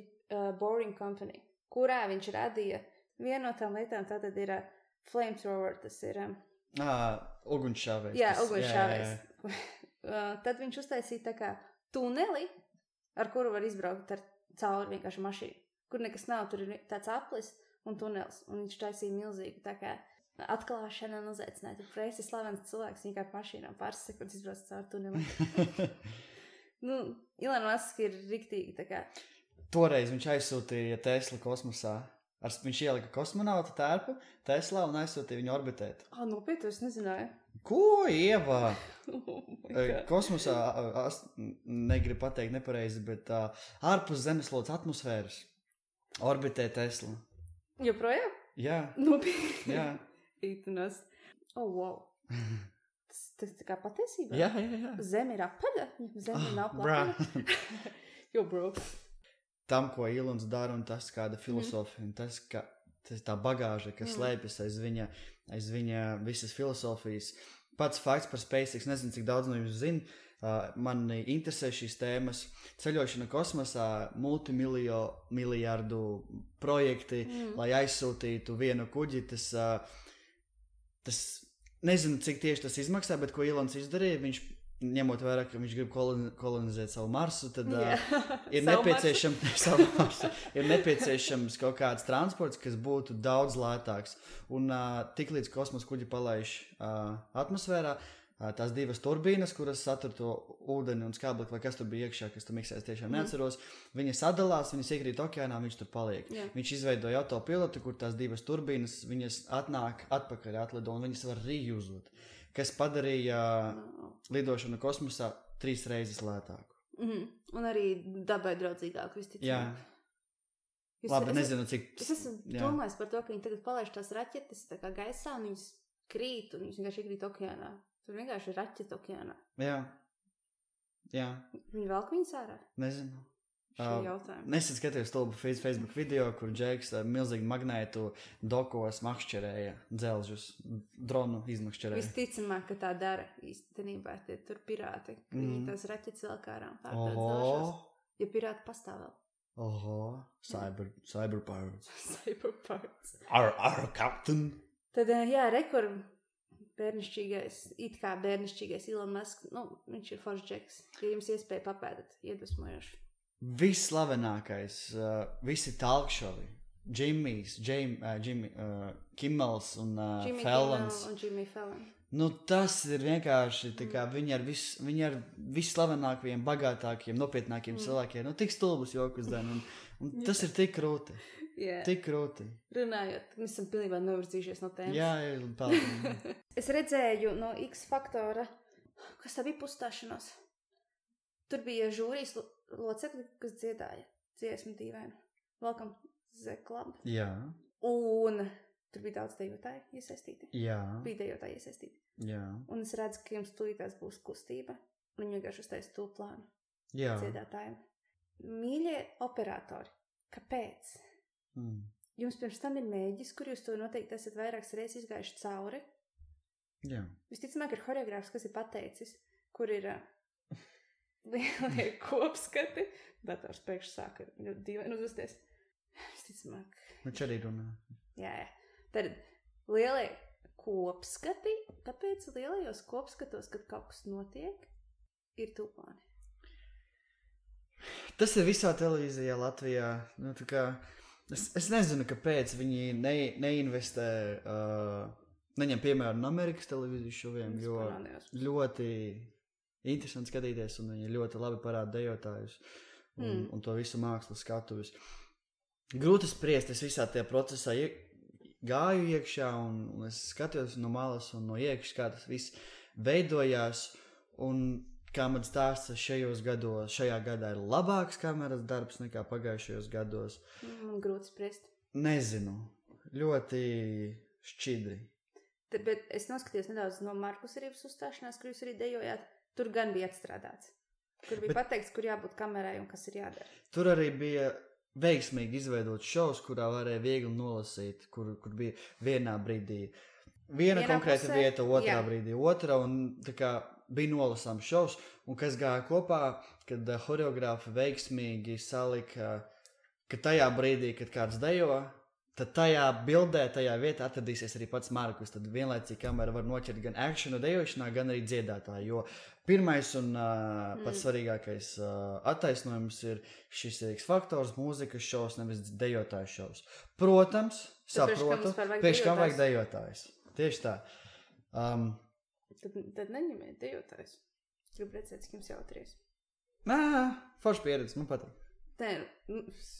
Boring Company, kurā viņš radīja vienu no tām lietām, tātad ir flamethrower, tas ir... Ugunsšāvējs. Jā, ugunsšāvējs. Tad viņš uztaisīja tā kā tuneli, ar kuru var izbraukt cauri vienkārši mašīnu, kur nekas nav, tur ir tāds aplis un tunels, un viņš taisīja milzīgi tā kā atklāšana un uzaicināja. Tur preisi slavens cilvēks vienkārši mašīnām pāris sekundes izbrauc cauri tuneli. Elon Musk ir riktīgi tā kā. Toreiz viņš aizsūtīja Tesla kosmosā. Viņš ielika kosmonauta tērpu Teslā un aizsūtīja viņu orbitēt. Nopietni, es nezināju. Ko, Ieva? Kosmosā, negribu pateikt nepareizi, bet ārpus zemeslodes atmosfēras orbitē Tesla. Joprojām? Jā. Nopietni. Jā. Ītenos. Wow. Tas tā kā patiesībā? Jā. Zeme ir apaļa? Zeme nav plakana? Jo, bro. Tam, ko Ilons dara, un tas kāda filosofija, un tas tā bagāža, kas slēpjas aiz viņa visas filosofijas. Pats fakts par SpaceX, nezinu, cik daudz no jums zina, mani interesē šīs tēmas. Ceļošana kosmosā, multimiliardu projekti, lai aizsūtītu vienu kuģi, tas nezinu, cik tieši tas izmaksā, bet ko Ilons izdarīja, viņš ņemot vērā, ka viņš grib kolonizēt savu Marsu, tad ir nepieciešams kaut kāds transports, kas būtu daudz lētāks. Un tiklīdz kosmosa kuģi palaiž atmosfērā, tās divas turbīnas, kuras satur to ūdeni un skābekli, vai kas tur bija iekšā, kas tur miksēs, tiešām neatceros, viņas sadalās, viņas iekrīt okeānā, viņš tur paliek. Jā. Viņš izveidoja autopilotu, kur tās divas turbīnas, viņas atnāk atpakaļ atlido, un viņas var reusot, kas padarīja lidošanu kosmosā 3 reizes lētāku. Un arī dabai draudzīgāku, visticamāk. Jā. Labi, nezinu, cik... Es esmu domājis par to, ka viņi tagad palaiž tās raķetes tā kā gaisā, un viņas krīt, un viņas vienkārši iekrīt okeānā. Tur vienkārši ir raķeta okeānā. Jā. Viņi velk viņas ārā? Nezinu. šo jautājumu. Nesen skatījos stulbu Facebook video, kur Džeks milzīgi magnētu dokos makšķerēja dzelžus, dronu izmakšķerēja. Visticamāk, ka tā dara īstenībā tie tur pirāti. Viņi tās raķetes vēl kārām pārdod zelžos. Ja pirāti pastāv vēl. Oho, cyber pirates. Cyber pirates. Our captain. Tad, it kā bērnišķīgais Elon Musk, viņš ir foršs Džeks. Ja jums iespēja papēdēt, iedvesmojoši. Visslavenākais, visi talkšovi, Kimmels un Fallons. Un Jimmy Fallon. Tas ir vienkārši, tā kā viņi ar visslavenākajiem, bagātākiem, nopietnākiem cilvēkiem, tik stulbus jokus dan, un tas ir tik krūti. Yeah. Tik krūti. Runājot, mēs esam pilnībā novirzījušies no tēmas. Jā, paldies. Es redzēju no X faktora, kas tā bija pustāšanos. Tur bija žūrijas locekļi, kas dziedāja dziesmu dīvainu. Welcome to the club. Jā. Un tur bija daudz dejotāju iesaistīti. Jā. Bija dejotāji iesaistīti. Jā. Un es redzu, ka jums tūlītās būs kustība. Un viņi vienkārši uztais to plānu. Jā. Dziedātājiem. Mīļie operatori, kāpēc? Jums pirms tam ir mēģis, kur jūs to noteikti esat vairākas reizes izgājuši cauri. Jā. Visticamāk ir horeogrāfs, kas ir pateicis, kur ir lielie kopskati. Dators pēkšņi sāka dīvaini uzvesties. Visticamāk. Viņš arī runā. Jā. Tad lielie kopskati. Kāpēc lielajos kopskatos, kad kaut kas notiek, ir tūplāni? Tas ir visā televīzijā Latvijā. Tā kā... Es nezinu, kāpēc viņi neinvestē, neņem piemēru no Amerikas televīzijas šoviem, jo ļoti interesanti skatīties, un viņi ļoti labi parāda dejotājus un to visu mākslas skatuvis. Grūti spriest, es visā tajā procesā gāju iekšā, un es skatījos no malas un no iekšas, kā tas viss veidojās, un kā man stāsta šajā gadā ir labāks kameras darbs nekā pagājušajos gados. Grūti spriest. Nezinu. Ļoti šķidri. Bet es noskatījos nedaudz no Markus Rīvas uzstāšanās, kur jūs arī dejojāt. Tur gan bija atstrādāts. Kur bija pateikts, kur jābūt kamerai un kas ir jādara. Tur arī bija veiksmīgi izveidot šovs, kurā varēja viegli nolasīt, kur bija vienā brīdī viena konkrēta vieta, otrā brīdī otra, un tā kā bija nolasāms šovs, un kas gāja kopā, kad horeogrāfi veiksmīgi salika, ka tajā brīdī, kad kāds dejo, tad tajā bildē, tajā vietā atradīsies arī pats Markus. Tad vienlaicīgi kamera var noķert gan akšanu dejošanā, gan arī dziedātāju, jo pirmais un pats svarīgākais attaisnojums ir šis X faktors, mūzikas šovs, nevis dejotāju šovs. Protams, saprotu, priekš kam vajag dejotājs. Tieši tā. Tad neņemiet dejotājs. Gribu redzēt, cik jums jautries. Forša pieredze, man patīk.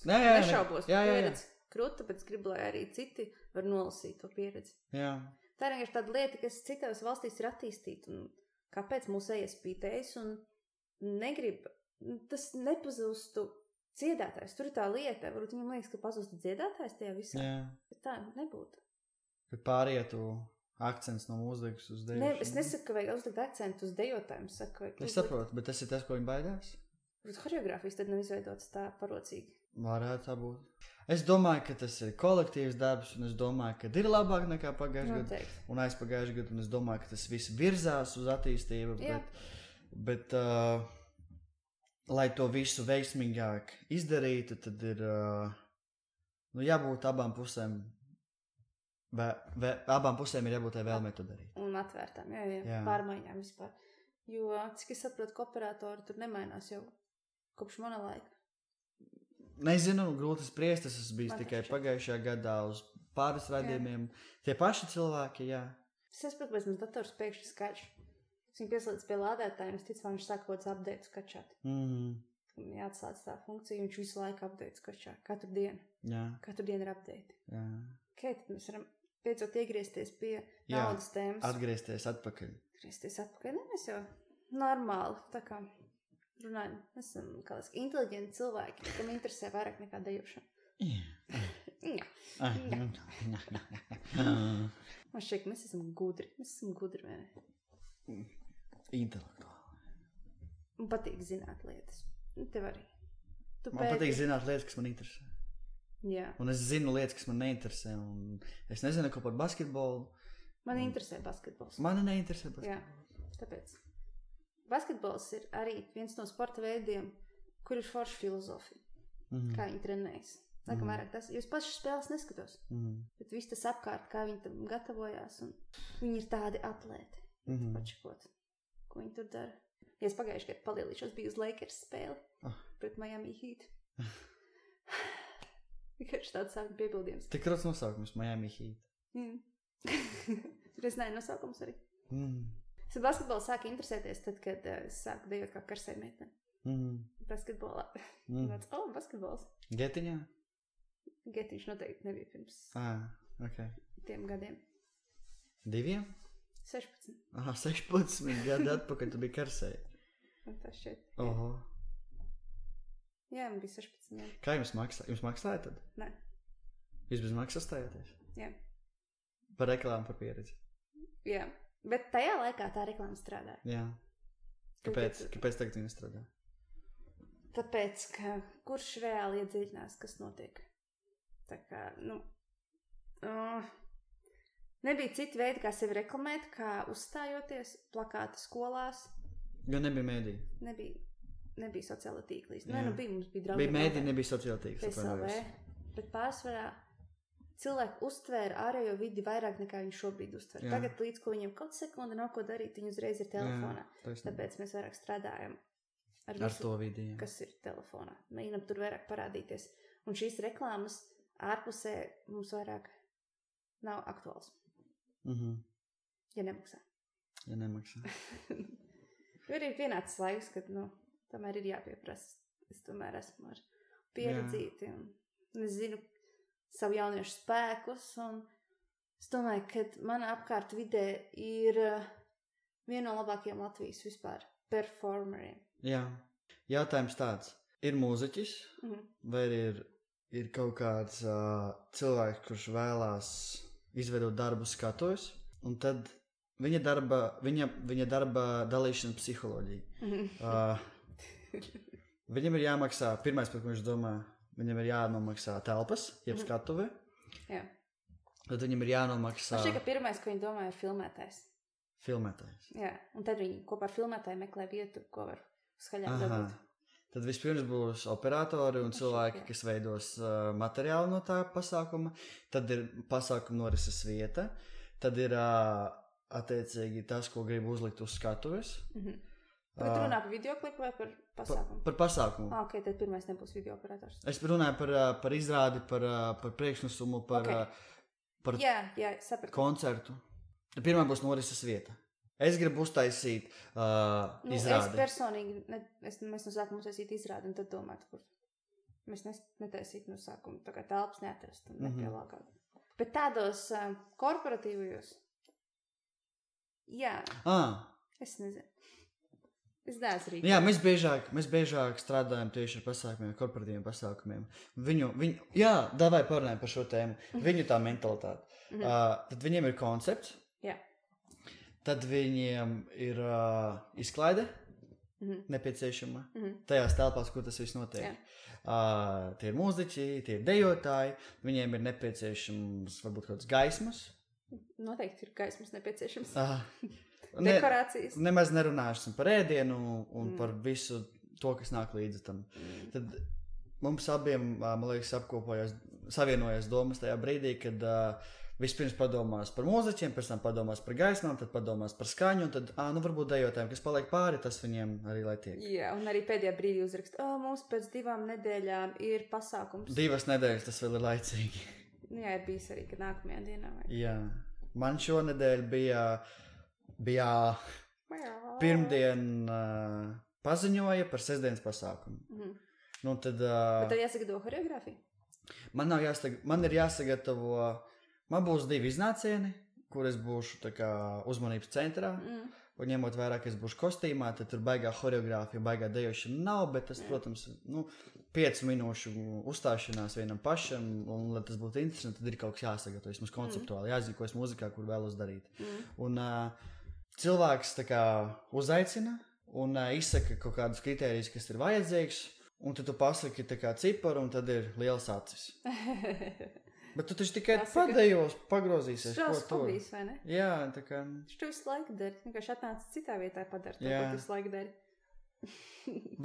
Nešaubos par pieredzi. Krūta, tāpēc gribu, lai arī citi var nolasīt to pieredzi. Jā. Tā ir vienkārši tāda lieta, kas citās valstīs ir attīstīta. Un kāpēc mūsu iespītējas un negrib, tas nepazustu dziedātājs. Tur ir tā lieta, varbūt viņam liekas, ka pazustu dziedātājs tajā visā. Jā. Bet tā nebūtu. Kad pārietu akcents no mūzikas uz dejošanu. Es nesaku, ka vajag uzlikt akcentu uz dejotājiem. Es saprotu, bet tas ir tas, ko viņi baidās? Horeogrāfijas tad nav izveidotas tā parocīgi. Varētu tā būt. Es domāju, ka tas ir kolektīvs darbs, un es domāju, ka ir labāk nekā pagājušajā gadā un aizpagājušajā gadā, un es domāju, ka tas viss virzās uz attīstību, bet lai to visu veiksmīgāk izdarītu, tad ir jābūt abām pusēm. Abām pusēm ir jābūt vēlmei to darīt. Un atvērtām, jā. Pārmaiņām vispār. Jo, cik es saprotu, ka operatori tur nemainās jau kopš mana laika. Nezinu, grūti spriest, tas bija tikai pagājušajā gadā uz pāris raidījumiem. Tie paši cilvēki, jā. Es saprotu, ka mums dators pēkšņi skaļš. Viņš pieslēdz pie lādētājiem, es ticu, viņš sāk kaut kāds update skačāt. Jāatslēdz tā funkcija, viņš visu laiku update skačā. Katru dienu. Jā. Katru dienu ir update. Jā. Tad mēs varam beidzot iegriezties pie naudas tēmas. Atgriezties atpakaļ. Ne, mēs jau normāli, tā kā runājam. Mēs esam inteliģenti cilvēki, kam interesē vairāk nekā dejošana. Man šķiet, ka mēs esam gudri. Vai ne? Intelektuāli. Un patīk zināt lietas. Tev arī. Man patīk zināt lietas, kas man interesē. Jā. Un es zinu lietas, kas man neinteresē. Un es nezinu, ko par basketbolu. Man interesē basketbols. Mani neinteresē basketbols. Jā, tāpēc. Basketbols ir arī viens no sporta veidiem, kur ir forša filozofija. Kā viņi trenējas. Laikam vairāk tas, jo es paši spēles neskatos. Bet viss tas apkārt, kā viņi tam gatavojās. Un viņi ir tādi atlēti. Pačakot, ko viņi tur dara. Ja es pagājuši gadu palielīšos, biju uz Lakers spēli pret Miami Heat. Vienkārši tāds sākuma piebildījums. Tik rots nosaukums, Miami Heat. Tur es nezinu nosaukums arī. Es basketbolu sāku interesēties tad, kad es sāku dejot kā karsai meitene. Basketbolā. Basketbols. Getiņā? Getiņš noteikti nebija pirms tiem gadiem. 2? 16. 16 gadu atpakaļ tu biji karsai. Tas šeit. Oho. Jā, man bija 16 gadu. Kā jums maksā? Jums maksāja tad? Nē. Jūs bez maksas stājāties? Jā. Par reklāmu, par pieredzi? Jā. Bet tajā laikā tā reklāma strādāja. Jā. Kāpēc tagad viņa strādā? Tāpēc, ka kurš reāli iedziļinās, kas notiek. Tā kā, nebija citi veidi, kā sevi reklamēt, kā uzstājoties, plakāti skolās. Jo nebija mēdī. Nebija sociāla tīklīs. Mums bija draugi. Bija mēdī, nebija sociāla tīklīs. PSLV, bet pārsvarā cilvēki uztvēra ārējo vidi vairāk nekā viņi šobrīd uztver. Jā. Tagad līdz, ko viņiem kaut sekundi nav ko darīt, viņi uzreiz ir telefonā. Jā, tāpēc mēs vairāk strādājam ar visu, to vidi, kas ir telefonā. Mēģinam tur vairāk parādīties. Un šīs reklāmas ārpusē mums vairāk nav aktuāls. Ja nemaksā. Jo ir pienācis laiks, kad, tomēr ir jāpieprasa. Es tomēr esmu ar pieredzīti un es zinu savu jauniešu spēkus un es domāju, ka mana apkārt vidē ir viena no labākajiem Latvijas vispār performeriem. Jā. Jautājums tāds. Ir mūziķis vai ir kaut kāds cilvēks, kurš vēlās izveidot darbu skatuves un tad viņa darba dalīšana psiholoģija. Viņam ir jāmaksā, pirmais, par ko viņš domā, viņam ir jānomaksā telpas, jeb skatuve. Jā. Tad viņam ir jānomaksā... Man šķiet, ka pirmais, ko viņi domā, ir filmētājs. Filmētājs. Jā, un tad viņi kopā ar filmētāju meklē vietu, ko var skaļāk dabūt. Tad vispirms būs operatori un cilvēki, kas veidos materiālu no tā pasākuma. Tad ir pasākuma norises vieta. Tad ir attiecīgi tas, ko grib uzlikt uz skatuves. Bet runā par videoklipu vai par pasākumu? Par pasākumu. Ok, tad pirmais nebūs videooperators. Es runāju par izrādi, par priekšnesumu, par sapratu. Koncertu. Pirmā būs norises vieta. Es gribu uztaisīt izrādi. Es personīgi, mēs no sākuma uztaisītu izrādi un tad domātu, kur mēs netaisītu no sākuma. Tā kā telpas neatrast un nepielāgāt. Bet tādos korporatīvajos, es nezinu. Es neesmu rīkot. Jā, mēs biežāk strādājam tieši ar pasākumiem, korporatīviem pasākumiem. Davai parunājam par šo tēmu. Viņu tā mentalitāte. Tad viņiem ir koncepts. Jā. Tad viņiem ir izklaide nepieciešama tajās telpās, kur tas viss notiek. Tie ir mūziķi, tie ir dejotāji. Viņiem ir nepieciešams varbūt kāds gaismas. Noteikti ir gaismas nepieciešams. Dekorācijas. Nemaz nerunāsim par ēdienu un par visu to, kas nāk līdzi tam. Tad mums abiem, man liekas, savienojas domas tajā brīdī, kad vispirms padomās par mūziķiem, pēc tam padomās par gaismām, tad padomās par skaņu, un tad, varbūt dejotājiem, kas paliek pāri, tas viņiem arī lai tiek. Jā, un arī pēdējā brīdī uzrakst, mums pēc 2 nedēļām ir pasākums. 2 nedēļas, tas vēl ir laicīgi. Jā, ir bijis arī, kad nākamajā dienā. Jā, man šonedēļ bija pirmdien paziņoja par sestdienas pasākumu. Bet tad jāsagatavo choreogrāfiju? Man ir jāsagatavo, man būs 2 iznācieni, kur es būšu tā kā uzmanības centrā, un ņemot vērā, ka es būšu kostīmā, tad tur baigā choreogrāfija, baigā dejošana nav, bet tas, protams, 5 minūšu uzstāšanās vienam pašam, un, lai tas būtu interesanti, tad ir kaut kas jāsagatavo, vismaz konceptuāli, jāizrīkojas muzikā, kur vēlos darīt. Un cilvēks tā kā uzaicina un izsaka kaut kādus kritērijus, kas ir vajadzīgs, un tad tu pasaki tā kā ciparu, un tad ir liels acis. Bet tu taču tikai padējos pagrozīsies, ko Šaus tur. hobijs, vai ne? Jā, tā kā... Viņš to visu laiku dari. Vienkārši atnāca citā vietā padara to, Jā. ko tu visu laiku dari.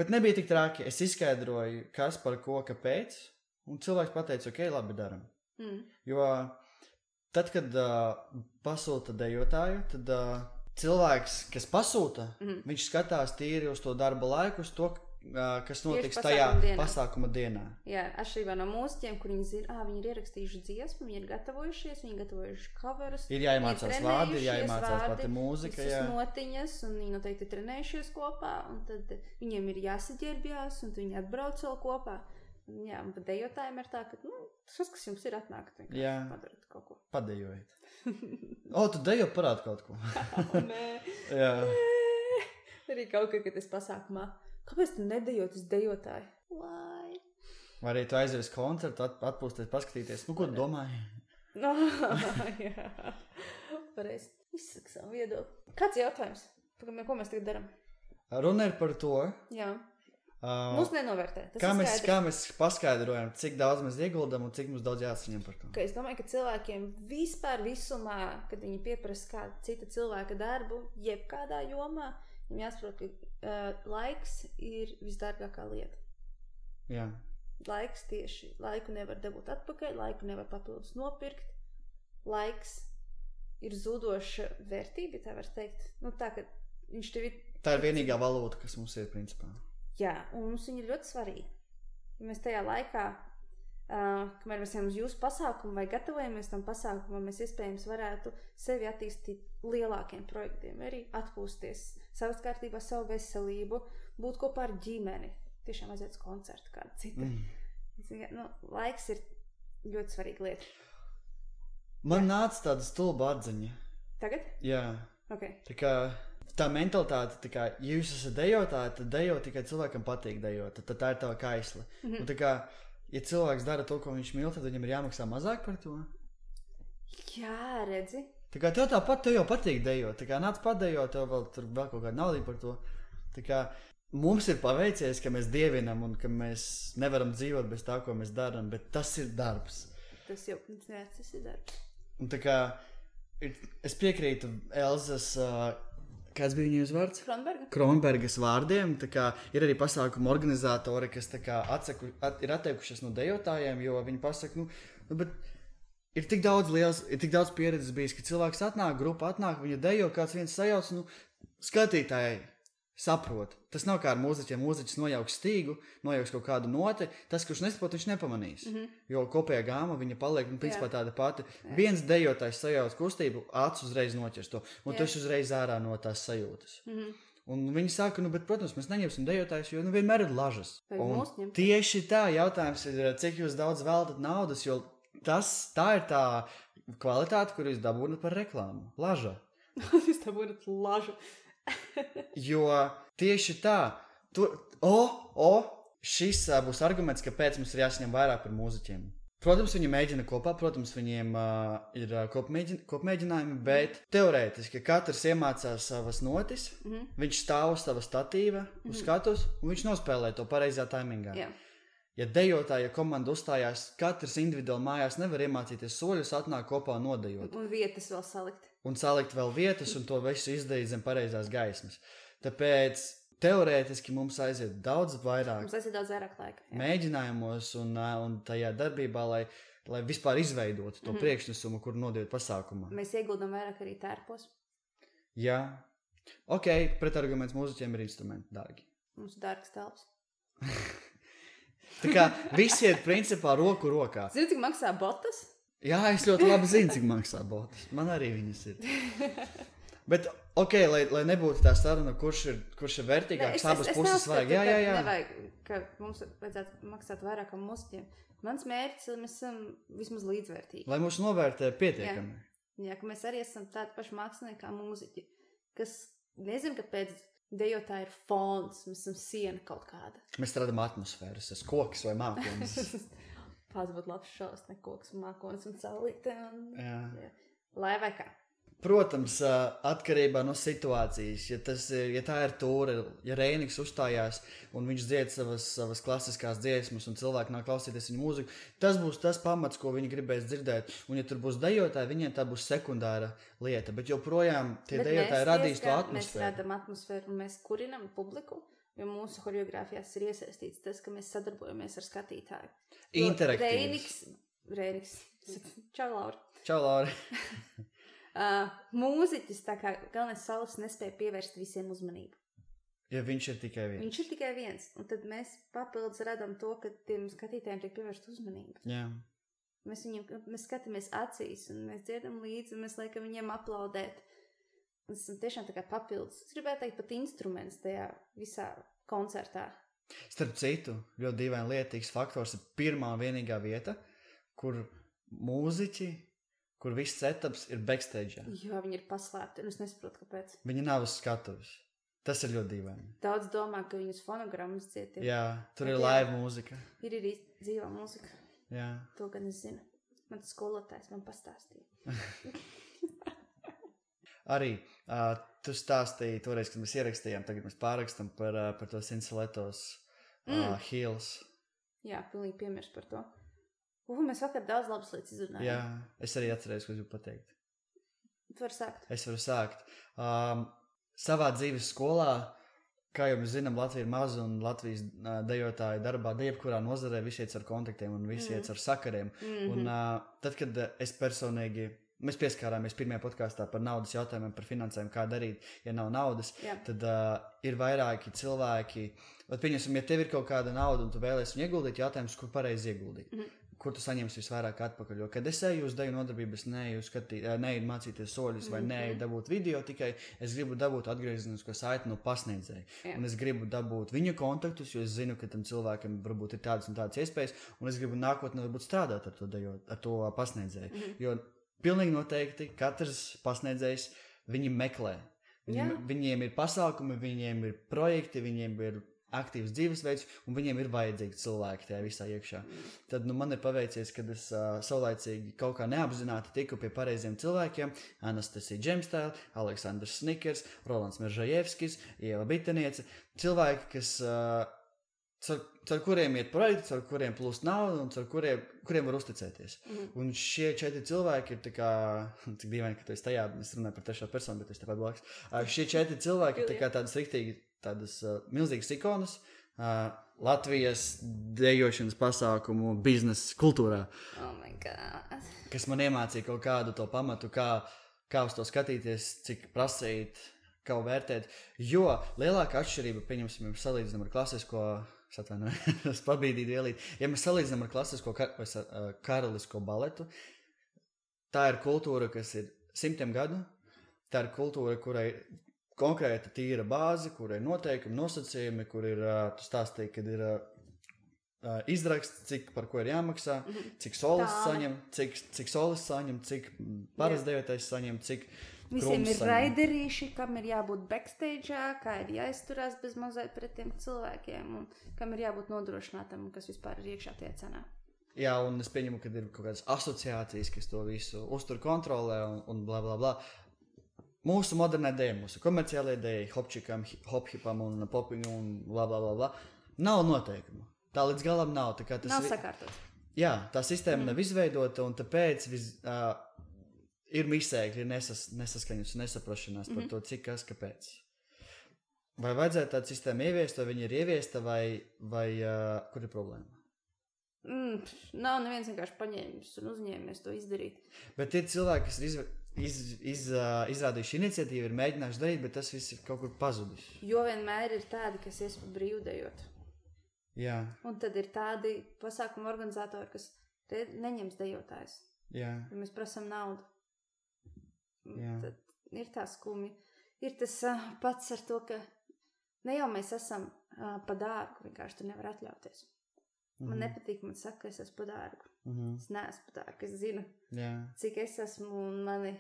Bet nebija tik traki. Es izskaidroju, kas par ko, kāpēc, un cilvēks pateica, ok, labi daram. Jo tad, kad pasūta dejotāju, tad cilvēks, kas pasūta, viņš skatās tīri uz to darba laiku, uz to, kas notiks tajā pasākuma dienā. Jā, atšķirībā no mūziķiem, kur viņi zina, viņi ir ierakstījuši dziesmu, viņi ir gatavojušies, viņi ir gatavojuši coverus. Ir jāiemācās vārdi, ir jāiemācās pati mūzika. Visas notiņas, un viņi noteikti ir trenējušies kopā, un tad viņiem ir jāsaģērbjās, un viņi atbrauc vēl kopā. Jā, un pat dejotājiem ir tā, ka, tas, kas jums ir atnākt, vienkārši padarat kaut ko. Padejojiet. Tu dejo parādi kaut ko. Nē. Jā. Arī kaut kā, kad es pasākumā. Kāpēc tu nedejot uz dejotāju? Lai. Vai arī tu aizies koncertu, atpūsties, paskatīties. Ko tu domāji? Jā. Pareizi. Izsaka savu viedokli. Kāds jautājums? Ko mēs tagad daram? Runa ir par to. Jā. Mums nenovērtē. Kā mēs paskaidrojam, cik daudz mēs ieguldam un cik mums daudz jāsaņem par to? Es domāju, ka cilvēkiem vispār visumā, kad viņi pieprasa kādu cita cilvēka darbu, jebkādā jomā, viņam jāsaprot, ka laiks ir visdārgākā lieta. Jā. Laiks tieši. Laiku nevar dabūt atpakaļ, laiku nevar papildus nopirkt. Laiks ir zudoša vērtība, tā var teikt. Tā, ka viņš tev ir... Tā ir vienīgā valūta, kas mums ir principā. Jā, un mums viņi ir ļoti svarīgi. Ja mēs tajā laikā, kamēr mēs ejam uz jūsu pasākumu vai gatavojamies tam pasākumam, mēs iespējams varētu sevi attīstīt lielākiem projektiem, arī atpūsties, savas kārtībā, savu veselību, būt kopā ar ģimeni. Tiešām aiziet uz koncertu kādu citu. Laiks ir ļoti svarīga lieta. Man nāca tāda stulba atziņa. Tagad? Jā. Okay. Tā mentalitāte, tā kā, ja jūs esat dejotāji, tad dejo tikai cilvēkam patīk dejot, tad tā ir tava kaisle. Un tā kā, ja cilvēks dara to, ko viņš mīl, tad viņam ir jāmaksā mazāk par to. Jā, redzi. Tā kā tev jau patīk dejot, tā kā nāc padejot, tev vēl kaut kāda naudība par to. Tā kā mums ir paveicies, ka mēs dievinam un ka mēs nevaram dzīvot bez tā, ko mēs darām, bet tas ir darbs. Tas ir darbs. Un tā kā, es piekrītu Elzas... Kāds bija viņas vārds? Kronbergas vārdiem. Tā kā ir arī pasākuma organizatori, kas tā kā ir atteikušies no dejotājiem, jo viņi pasaka, bet ir tik daudz pieredzes bijis, ka cilvēks grupa atnāk, viņa dejo, kāds viens sajauc, skatītāji saprot. Tas nav kā ar mūziķiem. Mūziķis nojauks stīgu, nojauks kaut kādu noti. Tas, kurš nesaprot, viņš nepamanīs. Jo kopējā gāma viņa paliek, principā tāda pati. Viens dejotājs sajauc kustību, acis uzreiz noķers to. Un tas uzreiz ārā no tās sajūtas. Un viņi saka, bet, protams, mēs neņemsim dejotājus, jo vienmēr ir lažas. Un tieši tā jautājums ir, cik jūs daudz veltat naudas, jo tā ir tā kvalitāte, kur jūs dabūnat par reklāmu. Laža. Jūs dabūnat lažu. Jo tieši tā, šis būs arguments, kāpēc mums ir jāsaņem vairāk par mūziķiem. Protams, viņi mēģina kopā, protams, viņiem ir kopmēģinājumi, bet teorētiski katrs iemācās savas notis, viņš stāv uz sava statīva, uz skatus, un viņš nospēlē to pareizā taimingā. Jā. Ja dejotāja komanda uzstājās, katrs individuāli mājās nevar iemācīties soļus, atnāk kopā un nodejot. Un vietas vēl salikt. Un salikt vēl vietas, un to visu izdarīt zem pareizās gaismas. Tāpēc teorētiski mums aiziet daudz vairāk laika. Mēģinājumos un tajā darbībā, lai vispār izveidotu to priekšnesumu, kur nodejot pasākumā. Mēs ieguldam vairāk arī tērpos. Jā. Ok, pretarguments mūziķiem ir instrumenti dārgi. Mums ir dārgs telps. Tā kā visi iet principā roku rokā. Zini, cik maksā botas? Jā, es ļoti labi zinu, cik maksā botas. Man arī viņas ir. Bet, ok, lai nebūtu tā saruna, kurš ir vērtīgāks, abas puses vajag. Jā. Nevajag, ka mums vajadzētu maksāt vairāk kā mūziķiem. Mans mērķis, lai mēs esam vismaz līdzvērtīgi. Lai mūs novērtē pietiekami. Jā, ka mēs arī esam tādi paši mākslinieki kā mūziķi, kas nezinu, kāpēc dejotāji ir fons, mēs esam siena kaut kāda. Mēs radam atmosfēras, es koks vai mākonis. Pats būtu labs šaus, ne koks un mākonis un saulīte. Jā. Lai vai kā. Protams, atkarībā no situācijas, ja tā ir tūre, ja Reiniks uzstājās un viņš dzied savas klasiskās dziesmas un cilvēki nāk klausīties viņa mūziku, tas būs tas pamats, ko viņi gribēs dzirdēt. Un ja tur būs dejotāji, viņiem tā būs sekundāra lieta, bet joprojām tie dejotāji radīs to atmosfēru. Mēs radam atmosfēru un mēs kurinam publiku, jo mūsu choreogrāfijās ir iesaistīts tas, ka mēs sadarbojamies ar skatītāju. Interaktīvs. Reiniks. Čau, Laura. Čau, Laura. Mūziķis, tā kā galvenais solis nespēja pievērst visiem uzmanību. Ja viņš ir tikai viens. Viņš ir tikai viens, un tad mēs papildus radam to, ka tiem skatītājiem tiek pievērst uzmanība. Jā. Mēs skatāmies acīs, un mēs dziedam līdzi, un mēs liekam viņiem aplaudēt. Tas ir tiešām tā kā papildus. Es gribētu teikt pat instruments tajā visā koncertā. Starp citu, ļoti dīvaini lietīgs faktors ir pirmā vienīgā vieta, kur mūziķi, kur viss setups ir backstage. Jo viņi ir paslēpti, un es nesaprotu, kāpēc. Viņi nav uz skatuves. Tas ir ļoti dīvaini. Daudz domā, ka viņus fonogrammas cietiem. Jā, tur ir live mūzika. Ir dzīvā mūzika. Jā. To gan es zinu. Man tas skolotājs man pastāstīja. Arī tu stāstīji toreiz, kad mēs ierakstījām, tagad mēs pārrakstam par to Sinsaletos Hills. Jā, pilnīgi piemirs par to. Mēs vakar daudz labas lietas izrunājām. Jā, es arī atcerējos, ko es gribu pateikt. Tu vari sākt. Es varu sākt. Savā dzīves skolā, kā jau mēs zinām, Latvija ir maza un Latvijas dejotāji darbā, jebkurā nozarē visi iet ar kontaktiem un visi iet ar sakariem. Un tad, kad es personīgi, mēs pieskārāmies pirmajā podkāstā par naudas jautājumiem, par finansēm, kā darīt, ja nav naudas, tad ir vairāki cilvēki. Pieņemsim, ja tev ir kaut kāda nauda un tu vēlies viņu ieguldīt, jautājums, kur pareizi ieguldīt. Kur tu saņemsi visvairāk atpakaļ. Jo, kad es eju uz deju nodarbības, neeju mācīties soļus vai neeju dabūt video, tikai es gribu dabūt atgriezenisko saiti no pasniedzēja. Un es gribu dabūt viņa kontaktus, jo es zinu, ka tam cilvēkam varbūt ir tādas un tādas iespējas, un es gribu nākotnē varbūt strādāt ar to pasniedzēju. Jo pilnīgi noteikti katrs pasniedzējs viņi meklē. Viņiem ir pasākumi, viņiem ir projekti, viņiem ir aktīvs dzīvesveids, un viņiem ir vajadzīgi cilvēki tajā visā iekšā. Tad man ir paveicies, kad es saulaicīgi kaut kā neapzināti tiku pie pareiziem cilvēkiem. Anastasija Džemstēla, Aleksandrs Snikers, Rolands Meržajevskis, Ieva Biteniece. Cilvēki, kas caur kuriem iet projekti, caur kuriem plūst nauda un caur kuriem var uzticēties. Un šie 4 cilvēki ir tā kā, cik dīvaini, ka tu esi tajā, es runāju par trešā personu, bet es tepat blakus. Šie 4 cilvēki ir tā kā tādas riktīgi, tādas milzīgas ikonas Latvijas dejošanas pasākumu biznesa kultūrā. Oh my God. Kas man iemācīja kaut kādu to pamatu, kā uz to skatīties, cik prasīt, kā vērtēt. Jo lielākā atšķirība, pieņemsim, ja salīdzinām ar klasisko, es pabīdīju vielīt, ja mēs salīdzinām ar klasisko karalisko baletu, tā ir kultūra, kas ir 100 gadu, tā ir kultūra, kurai konkrēta tīra bāze, kur ir noteikumi, nosacījumi, kur ir, tu stāstīji, kad ir izraksts, cik par ko ir jāmaksā, cik solis saņem, cik solis saņem, cik parasti dejotais saņem, cik visiem ir raiderīši, kam ir jābūt backstage'ā, kā ir jāizturās bez mazliet pret tiem cilvēkiem un kam ir jābūt nodrošinātam, kas vispār ir iekšā tajā cenā. Jā, un es pieņemu, ka ir kaut kādas asociācijas, kas to visu uztur kontrolē un bla bla bla. Mūsu modernā dēļ, mūsu komerciālajā dēļ, hopčikam, hophipam un popingu un bla bla bla bla, nav noteikumu. Tā līdz galam nav. Tā kā tas nav sakārtots. Jā, tā sistēma nav izveidota un tāpēc ir misēkļi, ir nesaskaņas un nesaprašanās par to, cik kas, kāpēc. Vai vajadzētu tādu sistēmu ieviest, vai viņa ir ieviesta, vai kur ir problēma? Nav neviens vienkārši paņēmis un uzņēmies to izdarīt. Bet ir cilvēki, kas izrādījuši iniciatīvu, ir mēģinājuši darīt, bet tas viss ir kaut kur pazudis. Jo vienmēr ir tādi, kas ies pa brīvdejot. Jā. Un tad ir tādi pasākumu organizatori, kas neņems dejotājs. Jā. Ja mēs prasam naudu. Jā. Tad ir tā skumji. Ir tas pats ar to, ka ne jau mēs esam pa dārgu, vienkārši tu nevar atļauties. Man nepatīk, man saka, ka es esmu pa dārgu. Es neesmu pa dārgu, es zinu, cik es esmu un mani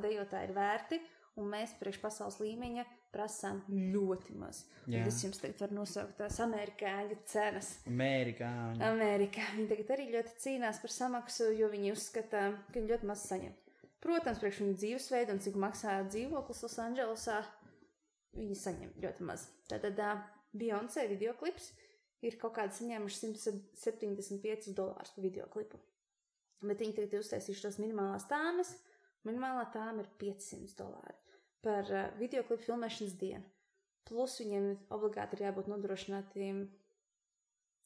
dejotāji ir vērti, un mēs priekš pasaules līmeņa prasām ļoti maz. Un es jums tagad varu nosaukt tās amerikāņu cenas. Amerikā. Viņi tagad arī ļoti cīnās par samaksu, jo viņi uzskata, ka viņi ļoti maz saņem. Protams, priekš viņu dzīvesveidu un cik maksā dzīvoklis Losandželosā, viņi saņem ļoti maz. Tātad Beyoncé videoklips ir kaut kādi saņēmuši $175 par videoklipu. Bet viņi tagad uztaisījuši tos minimālās tāmes. Minimālā tāma ir $500 par videoklipu filmēšanas dienu. Plus viņiem obligāti ir jābūt nodrošinātiem,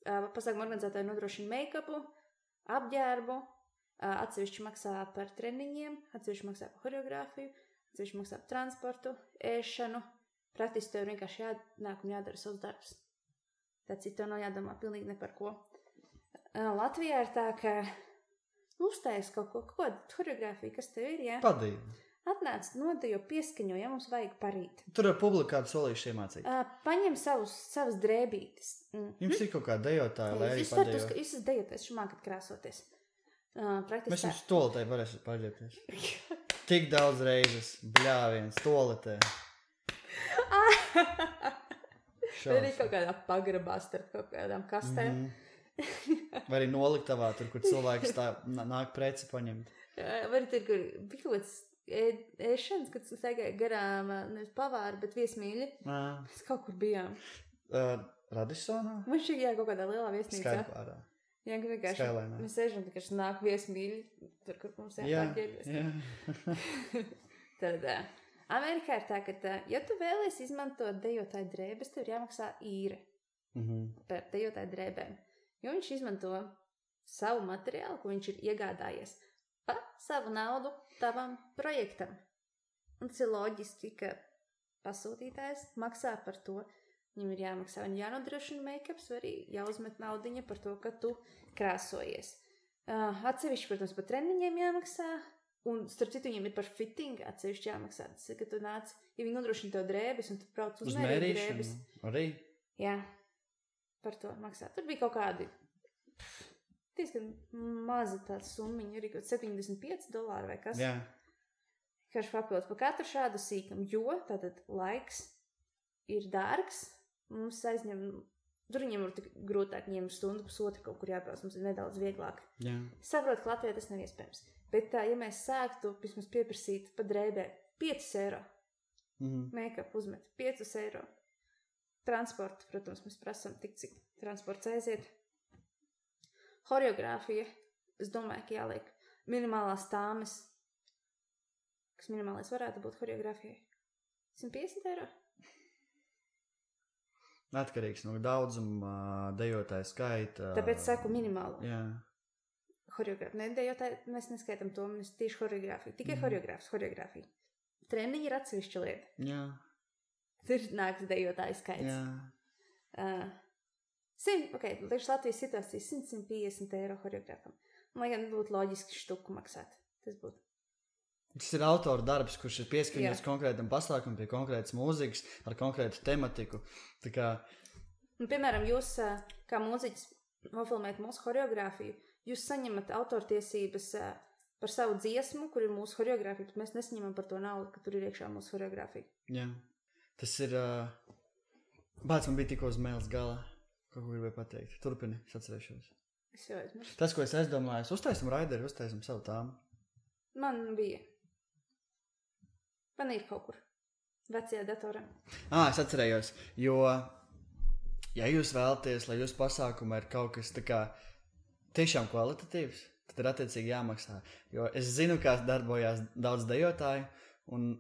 pasākumu organizētāji nodrošina make-upu, apģērbu, atsevišķi maksā par treniņiem, atsevišķi maksā par choreogrāfiju, atsevišķi maksā par transportu, ēšanu. Praktiski tev vienkārši jānāk un jādara savs darbs. Tā cita tev nav jādomā pilnīgi ne par ko. Latvijā ir tā, ka uztais kaut ko, choreogrāfiju, kas tev ir, jā? Padīvi. Atnāc, nodejo, pieskaņo, ja mums vajag parīt. Tur ar publiku kādu solīšu iemācīt. Paņem savas drēbītes. Jums ir kaut kā dejotāja, lai arī padejo. Jūs esat dejotājs, šumākat krāsoties. Mēs jums toletē varēsim paģēpties. Tik daudz reizes, bļāviens, toletē. Vai arī kaut kādā pagrabā starp kaut kādām kastēm. Vai arī noliktavā, tur, kur cilvēks tā nāk preci paņemt. Vai arī tur, kur bija kaut kāds ēšanas, kad staigāja garām, nevis pavāri, bet viesmīļi. Mēs kaut kur bijām. Radisonā? Man šķiet, jā, kaut kādā lielā viesnīcā. Skaidrpārā. Jā, ka vienkārši mēs sēžam, ka nāk viesmīļi, tur, kur mums jāpārģērbies. Jā. Tad Amerikā ir tā, ka, ja tu vēlies izmantot dejotāju drēbes, tev ir jāmaksā īre par dejotāju drēbēm. Jo viņš izmanto savu materiālu, ko viņš ir iegādājies pa savu naudu tavam projektam. Un tas ir loģiski, ka pasūtītājs maksā par to. Viņam ir jāmaksā un jānodrošina make-ups, vai arī jāuzmet naudiņa par to, ka tu krāsojies. Atsevišķi, protams, par treniņiem jāmaksā. Un starp citu viņiem ir par fitting atsevišķi jāmaksā. Tas ir, ka tu nāc, ja viņi nodrošina tev drēbes un tu brauc uz mērīt drēbes. Arī? Jā, par to maksā. Tur bija kaut kādi diezgan maza tāda summiņa, arī kaut $75 vai kas. Jā. Karš papildus par katru šādu sīkam, jo tātad laiks ir dārgs, mums aizņem, tur viņiem ir tik grūtāk, viņiem ir stundu pusotru kaut kur jābrauc, mums ir nedaudz vieglāk. Jā. Saprot, ka Latvijā tas nav iespējams. Bet tā, ja mēs sāktu vismaz pieprasīt pa drēbē €5, make-up uzmet €5, transportu, protams, mēs prasam tik, cik transports aiziet. Choreogrāfija, es domāju, ka jāliek minimālās tāmes, kas minimālais varētu būt choreogrāfijai. €150? Atkarīgs no daudzuma, dejotāju skaita. Tāpēc saku minimālu. Jā. Choreogrāfija. Ne, dejotāju, mēs neskaitam to, mēs tieši choreogrāfiju. Tikai choreogrāfija. Treniņi ir atsevišķa lieta. Jā. Tur nāks dejotāju skaits. Jā. Liekas Latvijas situācijas €100–150 choreogrāfam. Lai gan būtu loģiski štuku maksāt. Tas būtu. Tas ir autora darbs, kurš ir pieskaņots konkrētam pasākumam, pie konkrētas mūzikas, ar konkrētu tematiku. Tā kā... Un, piemēram, jūs, kā mūziķis, nofilmēt mūsu choreogrāfiju, jūs saņemat autortiesības par savu dziesmu, kur ir mūsu choreogrāfija, bet mēs nesaņemam par to naudu, ka tur ir iekšā mūsu choreogrāfija. Jā. Tas ir... Bāc, man bija tikko uz mēles galā. Ko gribēju pateikt? Turpini, es atcerēšos. Es jau aizmirstu. Tas, ko es aizdomājos, uztaisim raideri, uztaisim savu tāmu. Man bija. Man ir kaut kur. Vecajā datorā. Es atcerējos, jo, ja jūs vēlaties, lai jūsu pasākumā ir kaut kas tā kā tiešām kvalitatīvs, tad ir attiecīgi jāmaksā. Jo es zinu, kā darbojās daudz dejotāju, un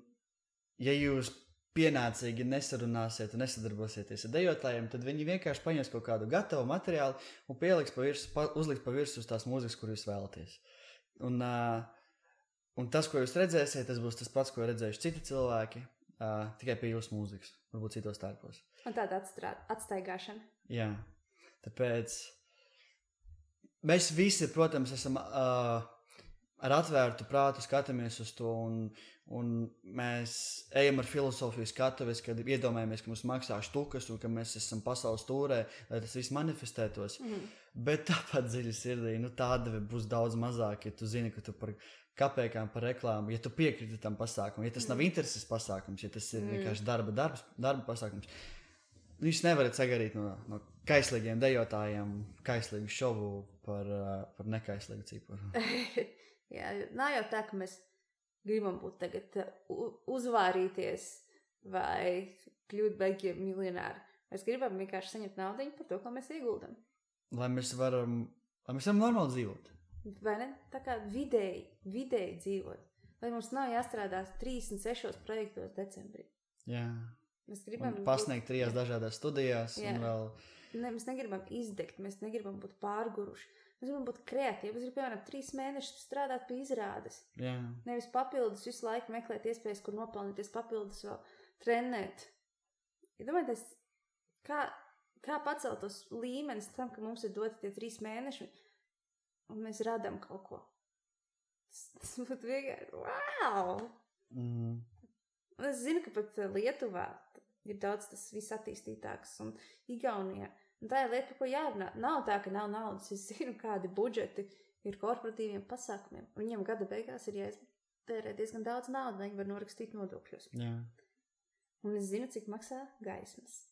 ja jūs pienācīgi nesarunāsiet un nesadarbosieties ar dejotājiem, tad viņi vienkārši paņems kaut kādu gatavu materiālu un uzliks pa virsmu uz tās mūzikas, kur jūs vēlaties. Un tas, ko jūs redzēsiet, tas būs tas pats, ko redzējuši citi cilvēki, tikai pie jūsu mūzikas, varbūt citos tērpos. Un tāda atstaigāšana. Jā, tāpēc mēs visi, protams, esam ar atvērtu prātu skatāmies uz to, un mēs ejam ar filozofiju skatuves, kad iedomājamies, ka mums maksā štukas un ka mēs esam pasaules tūrē, lai tas viss manifestētos. Bet tāpat dziļi sirdī, tāda būs daudz mazāk, ja tu zini, ka tu par kapēkām, par reklāmu, ja tu piekriti tam pasākumam, ja tas nav intereses pasākums, ja tas ir vienkārši darba pasākums. Jūs nevarat sagarīt no kaislīgiem dejotājiem kaislīgu šovu par nekaislīgu ciparu. Jā, nav jau tā, ka mēs gribam būt tagad uzvārīties vai kļūt beigļi miljonāri. Mēs gribam vienkārši saņemt naudiņu par to, ko mēs ieguldam. Lai mēs varam normāli dzīvot. Vai ne? Tā kā vidēji dzīvot. Lai mums nav jāstrādā 36 projektos decembrī. Jā. Mēs gribam pasniegt 3 dažādās studijās. Un vēl... Mēs negribam izdegt, mēs negribam būt pārguruši. Mēs gribam būt kreatīvi. Mēs gribam, piemēram, 3 mēnešus strādāt pie izrādes. Jā. Nevis papildus visu laiku meklēt iespējas, kur nopelnīties, papildus vēl trenēt. Ja domājies, kā pacelt tos līmenis tam, ka mums ir doti tie 3 mēneši un mēs radam kaut ko. Tas būtu vienkārši, wow! Mm. Un es zinu, ka pat Lietuvā ir daudz tas viss attīstītāks un Igaunijā. Un tā ir lieta, par ko jārunā. Nav tā, ka nav naudas. Es zinu, kādi budžeti ir korporatīviem pasākumiem. Un viņiem gada beigās ir jāiztērē diezgan daudz naudas, lai viņi var norakstīt nodokļus. Jā. Un es zinu, cik maksā gaismas.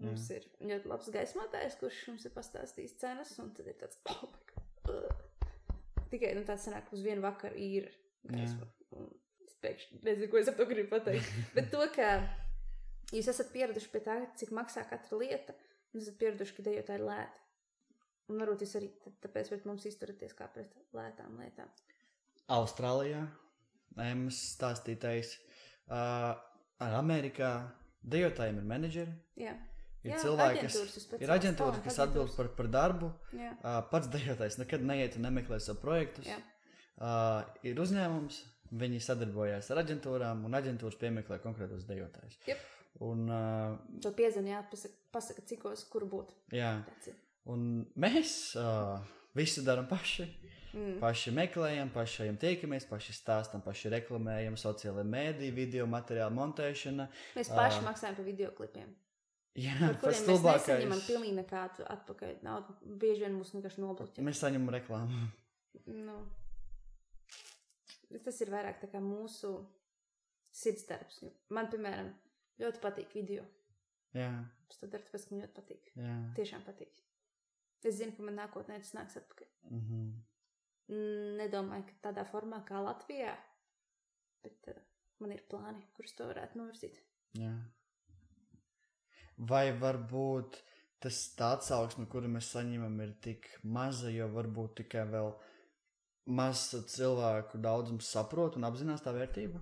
Mums ir ļoti labs gaismotājs, kurš mums ir pastāstījis cenas, un tad ir tāds, tikai tāds sanāk uz vienu vakaru īra gaisma. Es pēkšņi nezinu, ko es ap to gribu pateikt. Bet to, ka jūs esat pieraduši pie tā, cik maksā katra lieta, un esat pieraduši, ka dejotāji ir lēti. Un varbūt jūs arī tāpēc pret mums izturaties kā pret lētām lietām. Austrālijā, Emmas stāstītais, Amerikā dejotājiem ir menedžeri. Jā. Ir cilvēki, ir aģentūras, kas atbild par darbu. Pats dejotājs nekad neiet un nemeklē savu projektus. Ir uzņēmums, viņi sadarbojās ar aģentūrām, un aģentūras piemeklē konkrētos dejotājus. Yep. Un, to piezvanīt, pasaka, cikos, kur būt. Jā, un mēs visu daram paši. Paši meklējam, paši tiekamies, paši stāstam, paši reklamējam, sociālajā mēdī, video materiālu montēšana. Mēs paši maksājam par videoklipiem. Jā, par kuriem mēs nesaņemam pilnīgi nekādu atpakaļ naudu. Bieži vien mūs vienkārši nobloķē. Mēs saņemam reklāmu. Nu, tas ir vairāk tā kā mūsu sirdsdarbs. Man, piemēram, ļoti patīk video. Jā. Es to daru, tāpēc, ka man ļoti patīk. Jā. Tiešām patīk. Es zinu, ka man nākotnē tas nāks atpakaļ. Mhm. Nedomāju, ka tādā formā kā Latvijā, bet man ir plāni, kurus to varētu novirzīt. Jā. Vai varbūt tas tāds atsauksme, kuru mēs saņemam, ir tik maza, jo varbūt tikai vēl maz cilvēku daudzums saprot un apzinās tā vērtību?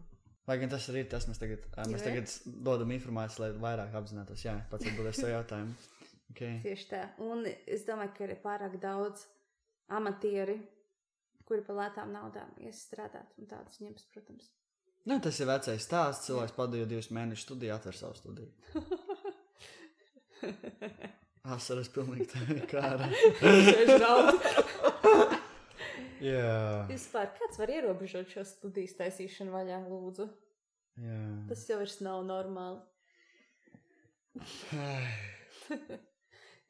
Lai gan tas arī ir tas, mēs tagad dodam informāciju, lai vairāk apzinātos. Jā, pats atbildēs savu jautājumu. Okay. Tieši tā. Un es domāju, ka ir pārāk daudz amatieri, kuri par lētām naudām iestrādāt, un tādas ņems, protams. Nu, tas ir vecais stāsts. Cilvēks padīja 2 mēnešu studiju, atver savu studiju. Asaras pilnīgi tā kāra. Jā. Vispār, kāds var ierobežot šo studijas taisīšanu vaļā, lūdzu? Jā. Tas jau vairs nav normāli.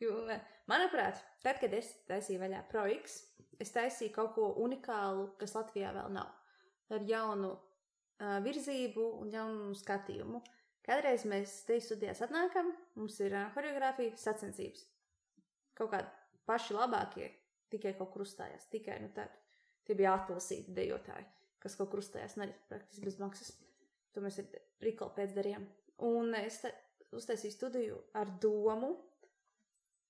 Jo, manuprāt, tad, kad es taisīju vaļā ProX, es taisīju kaut ko unikālu, kas Latvijā vēl nav. Ar jaunu virzību un jaunu skatījumu. Kādreiz mēs te studijās atnākam, mums ir horeogrāfija, sacensības. Kaut kādi paši labākie tikai kaut kur uzstājās. Tikai, tie bija atlasīti dejotāji, kas kaut kur uzstājās, un arī praktiski bez maksas. To mēs ar Rikolu pēc darījām. Un es uztaisīju studiju ar domu.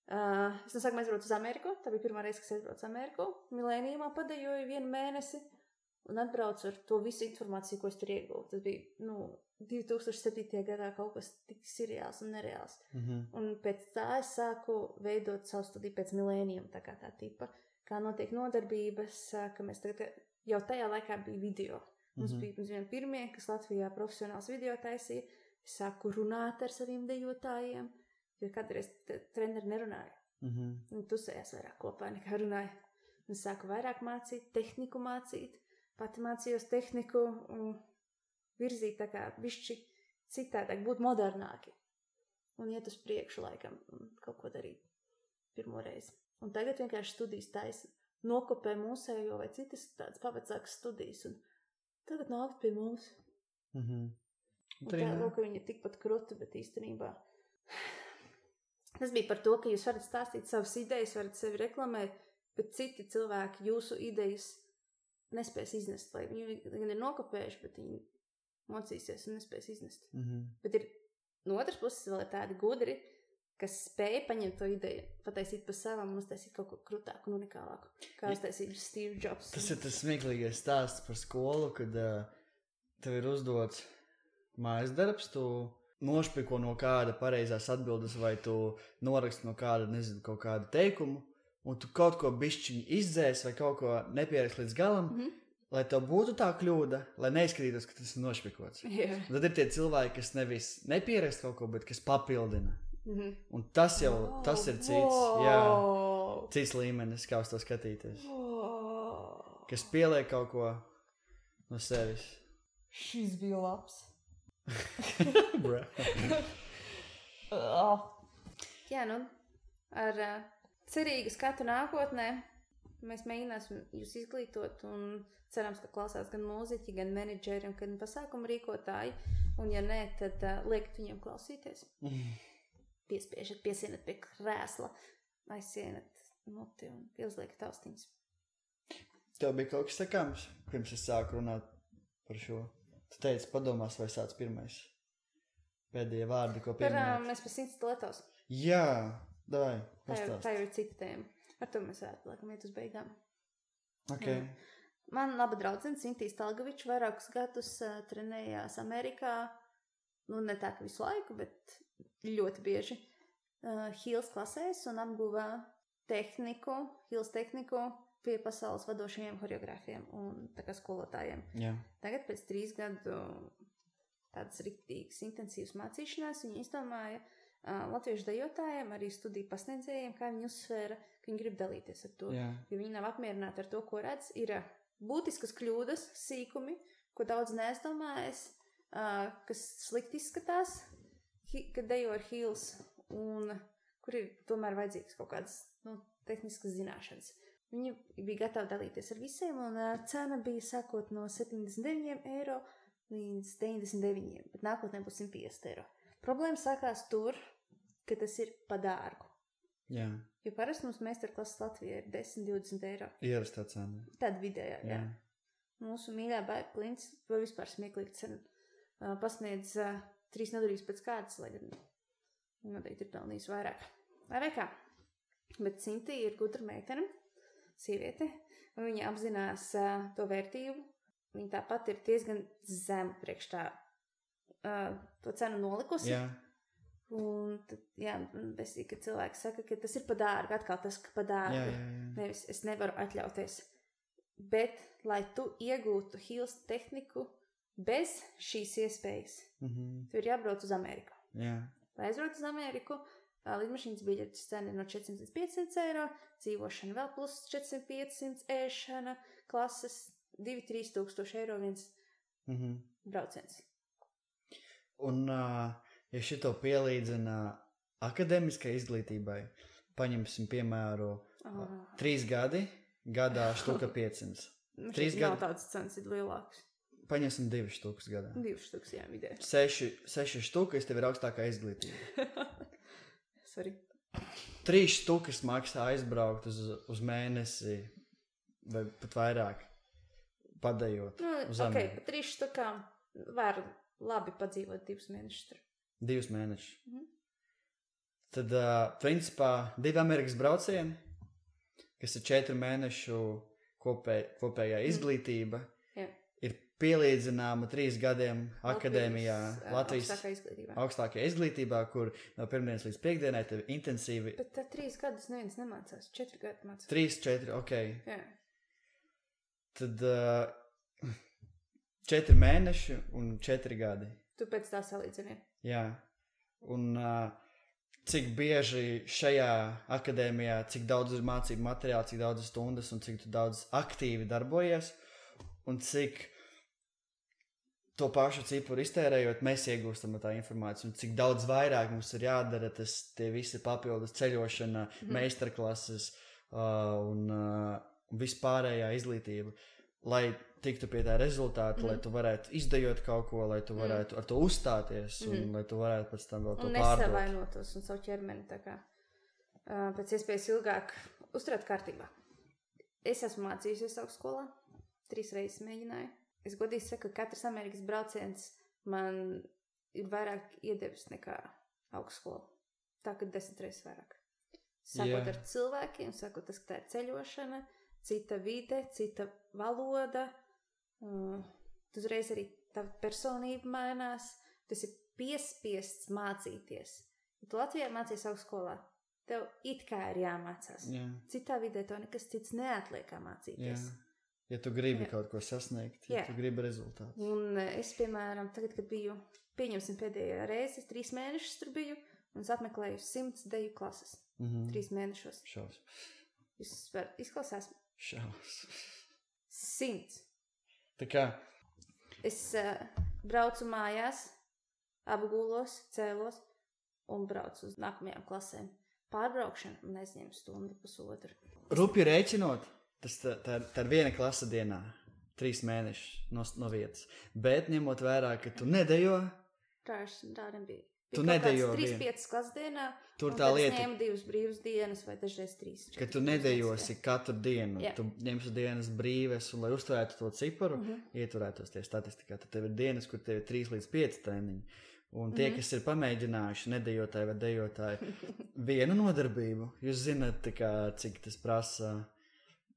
Es no sākumā aizbraucu uz Ameriku. Tā bija pirmā reize, kas aizbraucu uz Ameriku. Milēnijumā padejoju 1 mēnesi un atbraucu ar to visu informāciju, ko es tur ieguvu. Tas bija, 2007. gadā kaut kas tik seriāls un nereāls. Un pēc tā es sāku veidot savu studiju pēc milēnijuma, tā kā tā tipa. Kā notiek nodarbības, ka mēs tagad, jau tajā laikā bija video. Mums bija pirmie, kas Latvijā profesionāls video taisīja. Es sāku runāt ar saviem dejotājiem, jo kādreiz treneri nerunāja. Viņi tusējās vairāk kopā nekā runāja. Un es sāku vairāk mācīt, tehniku mācīt. Pati mācījos tehniku un virzīt tā kā višķi citādāk, būt modernāki. Un iet uz priekšu laikam un kaut ko darīt pirmo reizi. Un tagad vienkārši studijas taisa. Nokopē mūsējo vai citas tādas pavecākas studijas. Un tagad nākt pie mums. Un tā ka viņi ir tikpat kruti, bet īstenībā. Tas bija par to, ka jūs varat stāstīt savas idejas, varat sevi reklamēt, bet citi cilvēki jūsu idejas nespēs iznest, vai viņi gan ir nokopējuši, bet viņi mocīsies un nespēs iznest. Bet ir no otras puses vēl ir tādi gudri, kas spēja paņemt to ideju, pataisīt pa savam un uztaisīt kaut ko krutāku un unikālāku. Kā uztaisīt Steve Jobs. Tas ir tas smieklīgais stāsts par skolu, kad tev ir uzdots mājas darbs, tu nošpiko no kāda pareizās atbildes vai tu noraksti no kāda, nezinu, kaut kādu teikumu, un tu kaut ko bišķiņi izdzēs vai kaut ko nepierakst līdz galam, lai tev būtu tā kļūda, lai neizskatītos, ka tas ir nošpikots. Yeah. Tad ir tie cilvēki, kas nevis nepierakst kaut ko, bet kas papildina. Un tas jau, tas ir cits līmenis, kā uz to skatīties. Kas pieliek kaut ko no sevis. Šis bija labs. Jā, nu, ar cerīgu skatu nākotnē mēs mēģināsim jūs izglītot un cerams, ka klausās gan mūziķi, gan menedžeri un gan pasākumu rīkotāji. Un ja nē, tad liekat viņiem klausīties. Piespiežat, piesienat pie krēsla, aizsienat muti un pieliekat austiņas. Tev bija kaut kas sakāms, pirms es sāku runāt par šo. Tu teici, padomās, vai sāc pirmais. Pēdējie vārdi, ko pieminēt. Mēs par Sinsteletos. Jā, davai, pastāst. Tā ir cita tēma. Ar to mēs varētu, laikam, iet uz beigām. Okay. Man laba draudzene Sintīs Talgaviča vairākus gadus trenējās Amerikā. Nu, ne tā, ka visu laiku, bet ļoti bieži Hills klasēs un apguva Hills tehniku pie pasaules vadošajiem choreogrāfiem un tā kā skolotājiem. Jā. Tagad pēc 3 gadu tādas riktīgas intensīvas mācīšanās viņi izdomāja latviešu dejotājiem, arī studiju pasniedzējiem, kā viņi uzsvēra, ka viņi grib dalīties ar to. Jā. Jo viņi nav apmierināti ar to, ko redz. Ir būtiskas kļūdas, sīkumi, ko daudz neizdomājas, kas slikti izskatās, kad dejo ar Hills, un kur ir tomēr vajadzīgas kaut kādas tehniskas zināšanas. Viņi bija gatavi dalīties ar visiem, un cena bija sākot no 79 eiro līdz 99, bet nākotnē būs 150 eiro. Problēma sākās tur, ka tas ir pa dārgu. Jā. Jo parasti mums meistarklases Latvijā ir 10-20 eiro. Ierastā cena. Tāda vidējā, jā. Mūsu mīļā Baiba Klints vēl vispār smieklīgi cena pasniedz 3 nedēļas pēc kārtas, lai gan noteikti ir pelnījis vairāk. Vai kā? Bet Sintī ir gudra meitene, sieviete, un viņa apzinās to vērtību. Viņa tāpat ir diezgan zemu priekš tā to cenu nolikusi. Jā. Un tad, besīgi, kad cilvēki saka, ka tas ir pa dārgu, atkal tas, ka pa dārgu. Jā. Nevis, es nevaru atļauties. Bet, lai tu iegūtu Hills tehniku bez šīs iespējas, tu ir jābrauc uz Ameriku. Jā. Lai aizbrauc uz Ameriku, lidmašīnas biļetes cena ir no 400 līdz 500 eiro, dzīvošana vēl plus 400-500, ēšana, klases 2-3 tūkstoši eiro viens brauciens. Un, ja šito pielīdzina akadēmiskai izglītībai, paņemsim piemēru 3 gadi, gadā štuka 500. 3 gadi. Nav tādas cenas, ir lielākas. Paņemsim 2 štukas gadā. 2 štukas, jā, vidē. 6 štukas, tev ir augstākā izglītība. Sorry. 3 štukas maksā aizbraukt uz mēnesi, vai pat vairāk, padējot uz Ameriku. Pa 3 štukām var labi padzīvot 2 mēnešus tur. 2 mēnešus. Tad, principā, 2 Amerikas braucieni, kas ir 4 mēnešu kopējā izglītība, ir pielīdzināma 3 gadiem akadēmijā Latvijas augstākajā izglītībā, kur no pirmdienas līdz piekdienai tev intensīvi. Bet 3 gadus neviens nemācās, 4 gadi mācās. 3-4, ok. Jā. Tad 4 mēneši un 4 gadi. Tu pēc tā salīdzini. Jā. Un cik bieži šajā akadēmijā, cik daudz ir mācību materiāli, cik daudz stundas un cik tu daudz aktīvi darbojies un cik to pašu cipuru iztērējot, mēs iegūstam tā informāciju un cik daudz vairāk mums ir jādara tie visi papildus ceļošana, meistarklases un vispārējā izglītība, lai tiktu pie tā rezultāta, lai tu varētu izdejot kaut ko, lai tu varētu ar to uzstāties un lai tu varētu pēc tam vēl to pārdot. Un nesavainotos un savu ķermeni tā kā pēc iespējas ilgāk uzturēt kārtībā. Es esmu mācījusies augstskolā 3 reizes mēģināju. Es godīgi saku, ka katrs Amerikas brauciens man ir vairāk iedevis nekā augstskola. Tā, ka 10 reizes vairāk. Sākot ar cilvēkiem, sākot tas, ka tā ir ceļošana, cita vide, cita valoda. Uzreiz arī tā personība mainās. Tas ir piespiests mācīties. Ja tu Latvijā mācies augstskolā, tev it kā ir jāmācās. Jā. Citā vidē tev nekas cits neatliek kā mācīties. Jā. Ja tu gribi kaut ko sasniegt, ja tu gribi rezultātus. Un es, piemēram, tagad, kad biju, pieņemsim pēdējā reizi, es 3 mēnešus tur biju, un es apmeklēju 100 deju klases. 3 mēnešos. Šaus. Jūs varat izklausās? Šaus. 100. Tā kā? Es braucu mājās, apgulos, cēlos un braucu uz nākamajām klasēm. Pārbraukšana man aizņem stundu, pusotru. Rupi rēķinot, tā ir viena klasa dienā, 3 mēnešus no vietas. Bet ņemot vērā, ka tu nedejo. Tā nebija. Tu nedejo 3-5 klases dienā, tur un tā tad lieta, es ņēmu 2 brīvas dienas vai dažreiz 3. Ka tu nedejosi katru dienu. Tu ņemsi dienas brīves, un lai uzturētu to ciparu, ieturētos tie statistikā. Tad tev ir dienas, kur tev ir 3 līdz 5 treniņi. Un tie, kas ir pamēģinājuši, nedejotāji vai dejotāji, vienu nodarbību, jūs zināt, cik tas prasa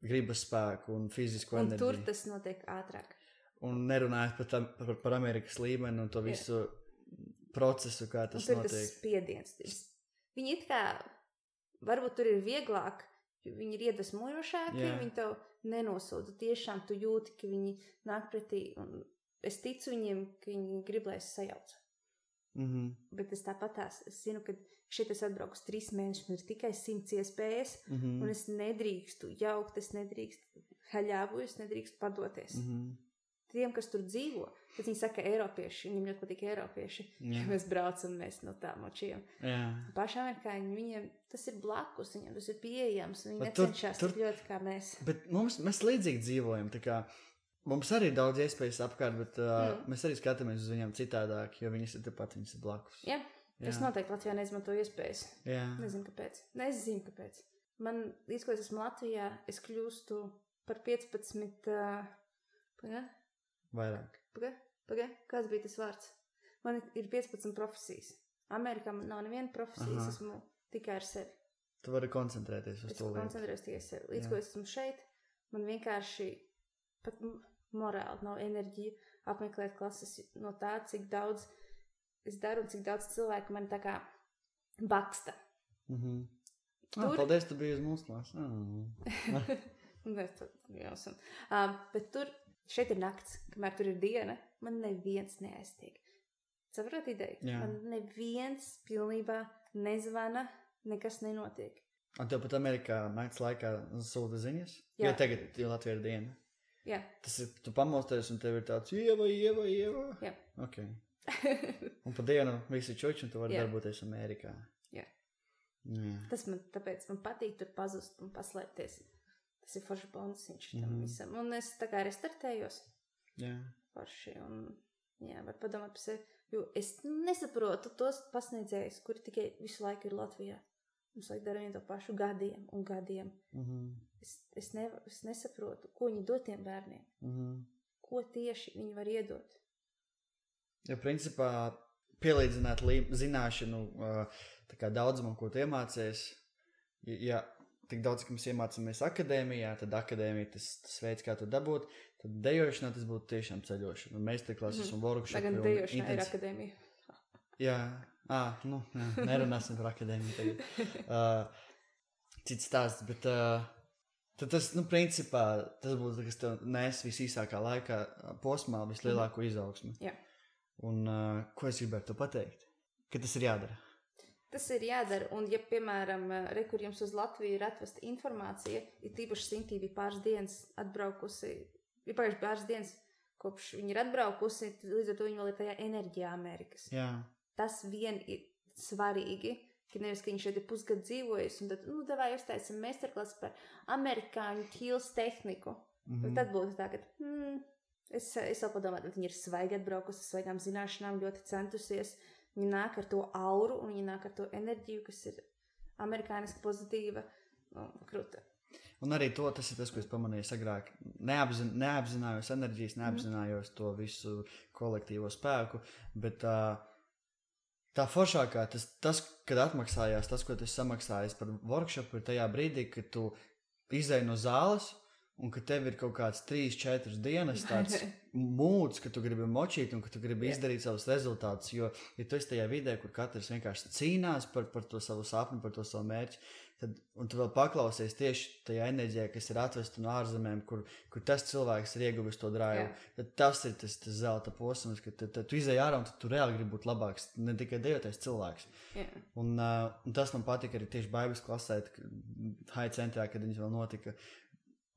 gribas spēku un fizisku enerģiju. Un tur tas notiek ātrāk. Un nerunājot par Amerikas līmeni un to visu procesu, kā tas notiek. Un tur tas spiediens. Viņi it kā, varbūt tur ir vieglāk, jo viņi ir iedvesmojošāki, viņi tev nenosūda. Tiešām tu jūti, ka viņi nāk pretī, un es ticu viņiem, ka viņi grib, lai es sajaucu. Bet es tāpatās, es zinu, ka šeit es atbraucu 3 mēnešus, man ir tikai 100 iespējas, un es nedrīkstu jaukt, es nedrīkstu haļāvu, es nedrīkstu padoties. Tiem, kas tur dzīvo, tad viņi saka eiropieši, viņiem ļoti patīk eiropieši, ja mēs braucam, mēs no tā močiem. Paši amerikāņi, viņiem tas ir blakus, viņiem tas ir pieejams, viņi necenšās tik ļoti kā mēs. Bet mēs līdzīgi dzīvojam, tā kā mums arī ir daudz iespējas apkārt, bet mēs arī skatāmies uz viņiem citādāk, jo viņas ir tepat, viņas ir blakus. Jā, es noteikti Latvijā neizmantoju iespējas. Nezinu, kāpēc. Man, līdz ko es esmu Latvijā, es kļūstu par 15... Vairāk. Kāds bija tas vārds? Man ir 15 profesijas. Amerikā man nav neviena profesija, es esmu tikai ar sevi. Tu vari koncentrēties uz to lietu. Es koncentrējos tikai sevi. Līdz ko es esmu šeit, man vienkārši pat morāli nav enerģija apmeklēt klases no tā, cik daudz es daru un cik daudz cilvēku man tā kā baksta. Paldies, tu biji uz mūsu klases. Bet tur šeit ir nakts, kamēr tur ir diena, man neviens neaiztiek. Saprot ideju? Man neviens pilnībā nezvana, nekas nenotiek. Un tev pat Amerikā nakts laikā sūta ziņas? Jo tagad, jo Latvija ir diena. Jā. Tas ir, tu pamosties un tev ir tāds Ieva. Jā. Ok. Un pa dienu visi čuči un tu vari darboties Amerikā. Jā. Tas tāpēc man patīk tur pazust un paslēpties. Tas ir forši bonusiņš tam visam. Un es tā kā restartējos. Jā. Forši un var padomāt par sevi. Jo es nesaprotu tos pasniedzējus, kuri tikai visu laiku ir Latvijā. Mums vajag dara vienu to pašu gadiem un gadiem. Es nesaprotu, ko viņi dod tiem bērniem. Ko tieši viņi var iedot. Ja principā pielīdzināt zināšanu tā kā daudzumam, ko tu iemācies, ja tik daudz, ka mēs iemācāmies akadēmijā, tad akadēmija tas veids, kā to dabūt, tad dejošanā tas būtu tiešām ceļošana. Un meistarklases un workshopi. Tagad dejošanā ir akadēmija. Jā, nerunāsim par akadēmiju tagad. Cits stāsts, bet tad tas, principā, tas būtu, kas tev nes visīsākā laikā posmā vislielāko izaugsmi. Jā. Un ko es gribētu to pateikt? Ka tas ir jādara. Tas ir jādara, un ja, piemēram, kur jums uz Latviju ir atvesta informācija, ir tīpaši Sintī bija pāris dienas atbraukusi, ir pagājuši pāris dienas, kopš viņi ir atbraukusi, līdz ar to viņi vēl ir tajā enerģijā Amerikas. Jā. Tas vien ir svarīgi, ka nevis, ka viņš šeit ir pusgadu dzīvojis, un tad, davai uztaisam meistarklases par amerikāņu ķīles tehniku. Tad būtu tā, ka, es vēl padomāju, viņi ir svaigi atbraukusi, svaigām zināšanām, ļoti centusies. Viņi nāk ar to auru, un viņi nāk ar to enerģiju, kas ir amerikāniski pozitīva, krūta. Un arī tas ir tas, ko es pamanīju agrāk. Neapzinājos enerģijas, neapzinājos to visu kolektīvo spēku, bet tā foršākā, tas, kad atmaksājās, tas, ko tu samaksājies par workshopu, ir tajā brīdī, kad tu izēji no zāles, un ka tev ir kaut kāds 3-4 dienas tāds mūds, ka tu gribi močīt un ka tu gribi izdarīt savus rezultātus, jo tu esi tajā vidē, kur katrs vienkārši cīnās par to savu sapni, par to savu mērķi, un tu vēl paklausies tieši tajā enerģijā, kas ir atvesta no ārzemēm, kur tas cilvēks ir ieguvis to drāju. Tad tas ir tas zelta posms, ka tu izēji ārā un tu reāli gribi būt labāks, ne tikai dejoties cilvēks. Un tas man patika arī tieši Baibles klasē, High centrā, kad viņas vēl notika.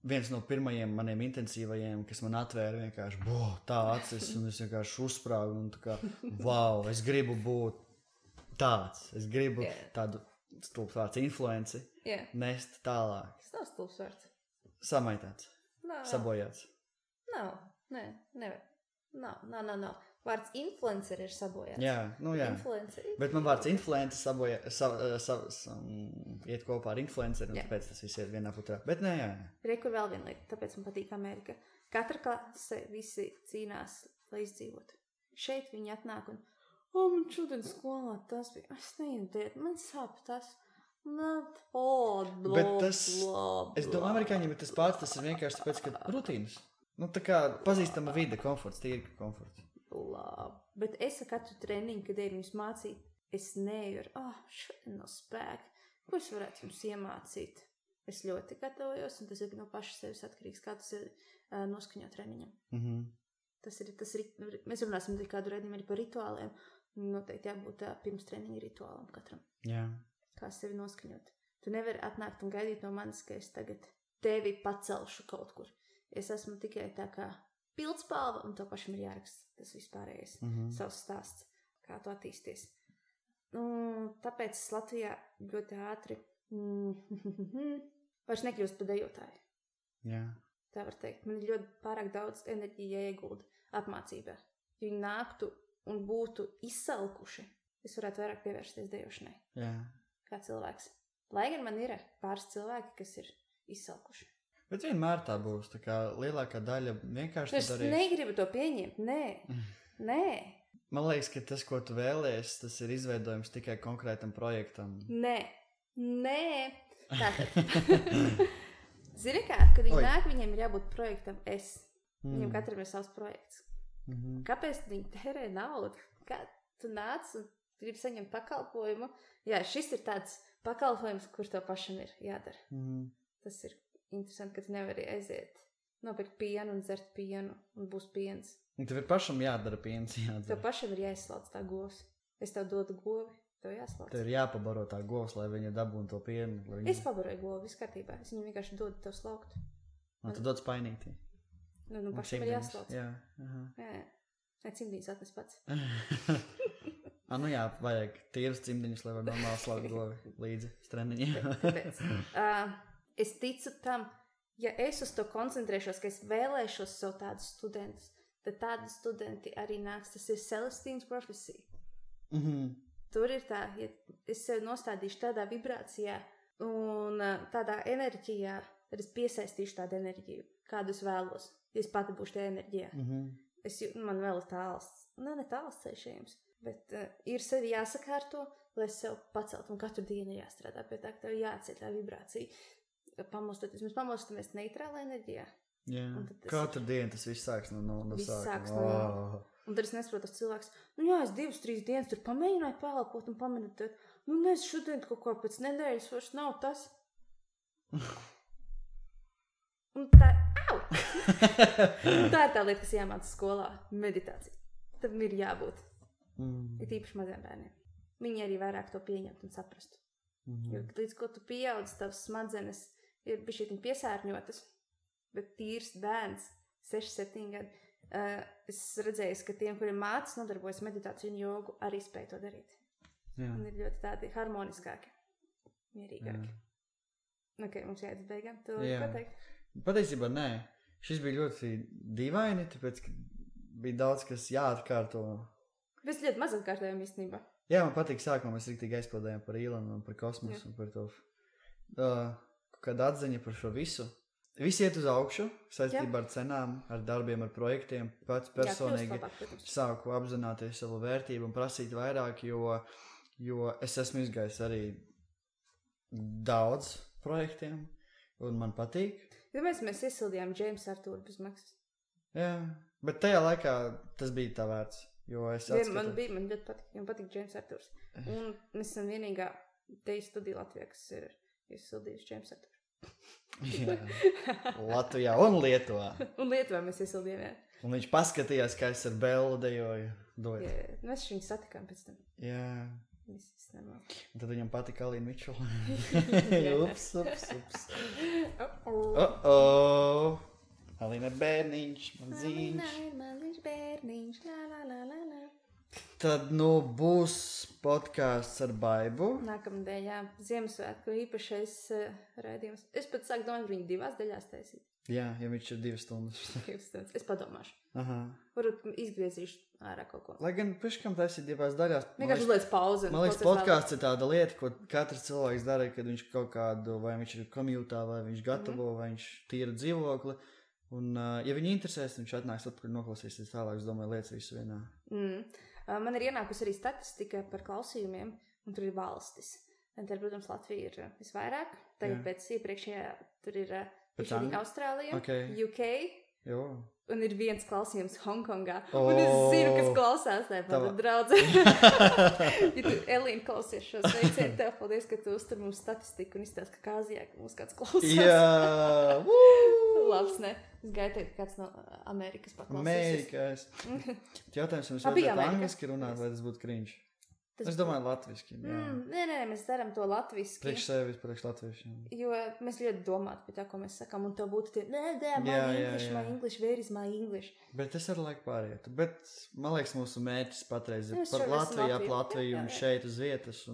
Viens no pirmajiem maniem intensīvajiem, kas man atvēra vienkārši tā acis, un es vienkārši uzsprāgu, un tā kā, wow, es gribu būt tāds, es gribu tādu stulbsvārds influenci nest tālāk. Tas nav stulbsvārds. Samaitāts, sabojāts. Nav. Vārds influencer ir sabojāts. Jā. Bet man vārds influencer iet kopā ar influenceru, un tāpēc tas viss iet vienā putrā. Bet nē, jā. Rekur vēl viena lieta, tāpēc man patīk Amerika. Katra klase visi cīnās, lai izdzīvotu. Šeit viņi atnāk un, man šodien skolā tas bija, es neiediet, man sāp tas. Bet tas, es domāju, amerikāņiem ir tas pats, tas ir vienkārši tāpēc, ka rutīnas. Tā kā pazīstama vide, komforts, tīri komforts. Bet es katru treniņu, kad viņus mācīt, es neju ar, šodien nav spēka, ko es varētu jums iemācīt. Es ļoti gatavojos, un tas ir no paša sevis atkarīgs, kā tas ir noskaņot treniņam. Tas ir, mēs runāsim kādu redzījumu arī par rituāliem, noteikti jābūt pirms treniņa rituālam katram. Jā. Kā sevi noskaņot. Tu nevari atnākt un gaidīt no manis, ka es tagad tevi pacelšu kaut kur. Es esmu tikai tā kā pildspalva, un to pašam ir jāraksta tas vispārējais savs stāsts, kā tu attīsties. Tāpēc es Latvijā ļoti ātri vairs nekļūst par dejotāju. Jā. Tā var teikt. Man ir ļoti pārāk daudz enerģija iegulda apmācībā. Ja viņi nāktu un būtu izsalkuši, es varētu vairāk pievērsties dejošanai. Jā. Kā cilvēks. Lai gan man ir pāris cilvēki, kas ir izsalkuši. Bet vienmēr tā būs, tā kā lielākā daļa vienkārši es negribu to pieņemt, nē. Man liekas, ka tas, ko tu vēlies, tas ir izveidojums tikai konkrētam projektam. Nē. Tātad. Zini kā, kad viņi nāk, viņiem ir jābūt projektam es. Viņiem katram ir savs projekts. Kāpēc viņi tērē naudu? Kā tu nāc un gribi saņemt pakalpojumu? Jā, šis ir tāds pakalpojums, kur tev pašam ir jādara. Tas ir interesanti, ka tu nevari aiziet, nopirkt pienu un dzert pienu, un būs piens. Un tev ir pašam jādara piens, Tev pašam ir jāizslauc tā govs. Es tev dodu govi, tev jāslauc. Tev ir jāpabaro tā govs, lai viņa dabūtu to pienu. Es pabaroju govi, viss kārtībā. Es viņu vienkārši dodu tev slaukt. Un tu dod spainītī. Nu pašam ir jāslauc. Jā. Cimdiņas atnes pats. Jā, vajag tīrus cimdiņus, lai var normāli slaukt govi līdzi streniņiem. Tāpēc. Es ticu tam, ja es uz to koncentrēšos, ka es vēlēšos sev tādus studentus, tad tādi studenti arī nāks. Tas ir Celestīnas profesija. Tur ir tā, ja es sevi nostādīšu tādā vibrācijā un tādā enerģijā, tad es piesaistīšu tādu enerģiju, kādu es vēlos, ja es pati būšu tajā enerģijā. Man vēl ir tāls, ne tāls ceļšējums, bet ir sevi jāsakārto, lai es sev paceltu, un katru dienu jāstrādā pie tā, ka tev jāceļ tā vibrācija. Pamostoties, mēs pamostamies neitrālā enerģijā. Jā, katru dienu tas viss sāks no sākuma. Un tad es nesaprotu, tas cilvēks, es 2-3 dienas tur pamēģināju pēlpot un pameditēt. Es šodien kaut ko pēc nedēļas vairs nav tas. Un tā, un tā ir tā lieta, kas jāmāca skolā. Meditācija. Tam ir jābūt. Ir īpaši maziem bērniem. Viņi arī vairāk to pieņemt un saprastu. Jo līdz ko tu pieaudz, tavs smadzenes ir bišķietiņ piesārņotas, bet tīrs bērns, 6-7 gadi, es redzēju, ka tiem, kuriem mācas nodarbojas meditāciju un jogu, arī spēj to darīt. Jā. Un ir ļoti tādi harmoniskāki, mierīgāki. Mums jāiet uz beigām, tu pateikt? Patiesībā nē. Šis bija ļoti dīvaini, tāpēc, ka bija daudz, kas jāatkārto. Mēs ļoti maz atkārtojam īstenībā. Jā, man patīk sākumā, mēs riktīgi aizpildējām par Īlanu un par kosmosu un par to, kāda atziņa par šo visu. Visi iet uz augšu, saistībā ar cenām, ar darbiem, ar projektiem. Pats personīgi sāku apzināties savu vērtību un prasīt vairāk, jo es esmu izgājis arī daudz projektiem, un man patīk. Mēs iesildījām James Arthuru bez maksas. Jā, bet tajā laikā tas bija tā vērts, jo es atskatu. Man ļoti patīk, man patīk James Arthurs. Un mēs esam vienīgā teju studija Latvijā, kas ir iesildījusi James Arthuru. Jā, Latvijā un Lietuvā. Un Lietuvā mēs iesildījām, jā. Un viņš paskatījās, kā es ar Bellu dejoju. Jā, mēs viņu satikām pēc tam. Jā. Viss normāli. Un tad viņam patika Alīna Mičula. Ups. Alīna bērniņš, man zīņš. Alīna bērniņš, la. Tad, būs podcasts ar Baibu. Nākamnedēļ, jā, Ziemassvētku īpašais raidījums. Es pat sāku domāt, viņu 2 daļās taisīt. Jā, ja viņš ir 2 stundas. 2 stundas. Es padomāšu. Aha. Varbūt izgriezīšu ārā kaut ko. Lai gan piškam taisīt 2 daļās. Vienkārši uzliec pauzi. Man liekas, podcasts ir tāda lieta, ko katrs cilvēks dara, kad viņš kaut kādu, vai viņš ir komjūtā, vai viņš gatavo, vai viņš tīra dzīvokli. Un, ja viņi interesēs, viņš atnāks atpakaļ noklausīsies tālāk, es domāju, lietas visu vienā. Man ir ienākusi arī statistika par klausījumiem, un tur ir valstis. Tad, protams, Latvija ir visvairāk. Tagad pēc iepriekšējā tur ir Austrālija, UK, un ir viens klausījums Hongkongā. Un es zinu, kas klausās, tāpat draudze. Ja tu, Elīna, klausies šo sveicienu, tev paldies, ka tu uztur mums statistiku un izstāst, ka Āzijā mums kāds klausās. Jā! Labs, ne? Es gāju teikt, ka kāds no Amerikas Amerikas. paklausīsies. Jautājums, jums vajadzētu angliski runāt, vai tas būtu cringe? Es domāju latviski. Nē, mēs darām to latviski. Priekš sevis, priekš latviešiem. Jo mēs ļoti domātu pie tā, ko mēs sakām, un tev būtu tie, my English, where is my English? Bet tas ar laiku pārietu. Bet, man liekas, mūsu mērķis patreiz ir par Latviju un šeit uz vietas.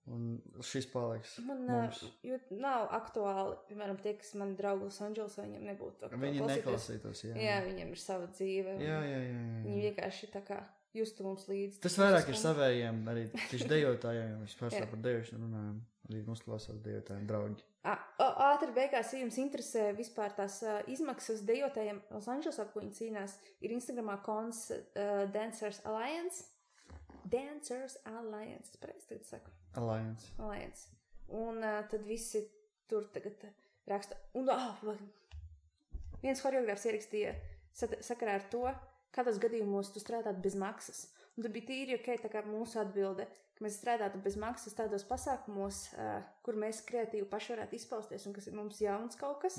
Un šis paliks mums. Jo nav aktuāli, piemēram, tie, kas mani draugi Los Andželosā, viņiem nebūtu aktuāli. Viņi neklausītos, Jā, viņiem ir sava dzīve. Jā. Viņi vienkārši tā kā justu mums līdzi. Tas vairāk ir savējiem, arī tieši dejotājiem, mēs pārstāv par dejošanu runājam, arī mums klausās dejotājiem draugi. Ātri beigās, ja jums interesē vispār tās izmaksas dejotājiem Los Andželosā, ko viņi cīnās, ir Instagramā kons Dancers Alliance. Es pareizi tagad saku. Alliance. Un tad visi tur tagad raksta. Un viens choreogrāfs ierakstīja sakarā ar to, kādos gadījumos tu strādāt bez maksas. Un tur bija tīri tā kā mūsu atbilde, ka mēs strādātu bez maksas tādos pasākumos, kur mēs kreatīvi paši varētu izpausties un kas ir mums jauns kaut kas,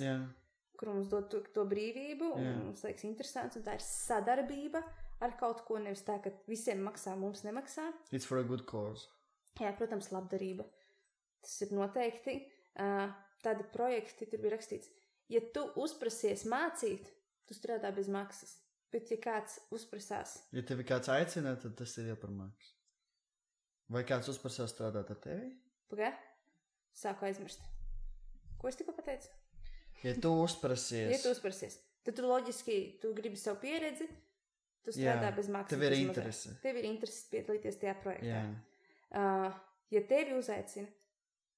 kur mums dod to brīvību un mums liekas interesants. Un tā ir sadarbība ar kaut ko, nevis tā, ka visiem maksā, mums nemaksā. It's for a good cause. Jā, protams, labdarība. Tas ir noteikti. Tādi projekti, tur bija rakstīts, ja tu uzprasies mācīt, tu strādā bez maksas. Bet ja kāds uzprasās... Ja tevi kāds aicina, tad tas ir jau par maksu. Vai kāds uzprasās strādāt ar tevi? Pagā? Sāku aizmirst. Ko es tikko pateicu? Ja tu uzprasies. Tad tu loģiski, tu gribi savu pieredzi, tu strādā bez maksas. Tev ir interese. Tev ir interese piedalīties tajā projektā. Jā. Ja tevi uzaicina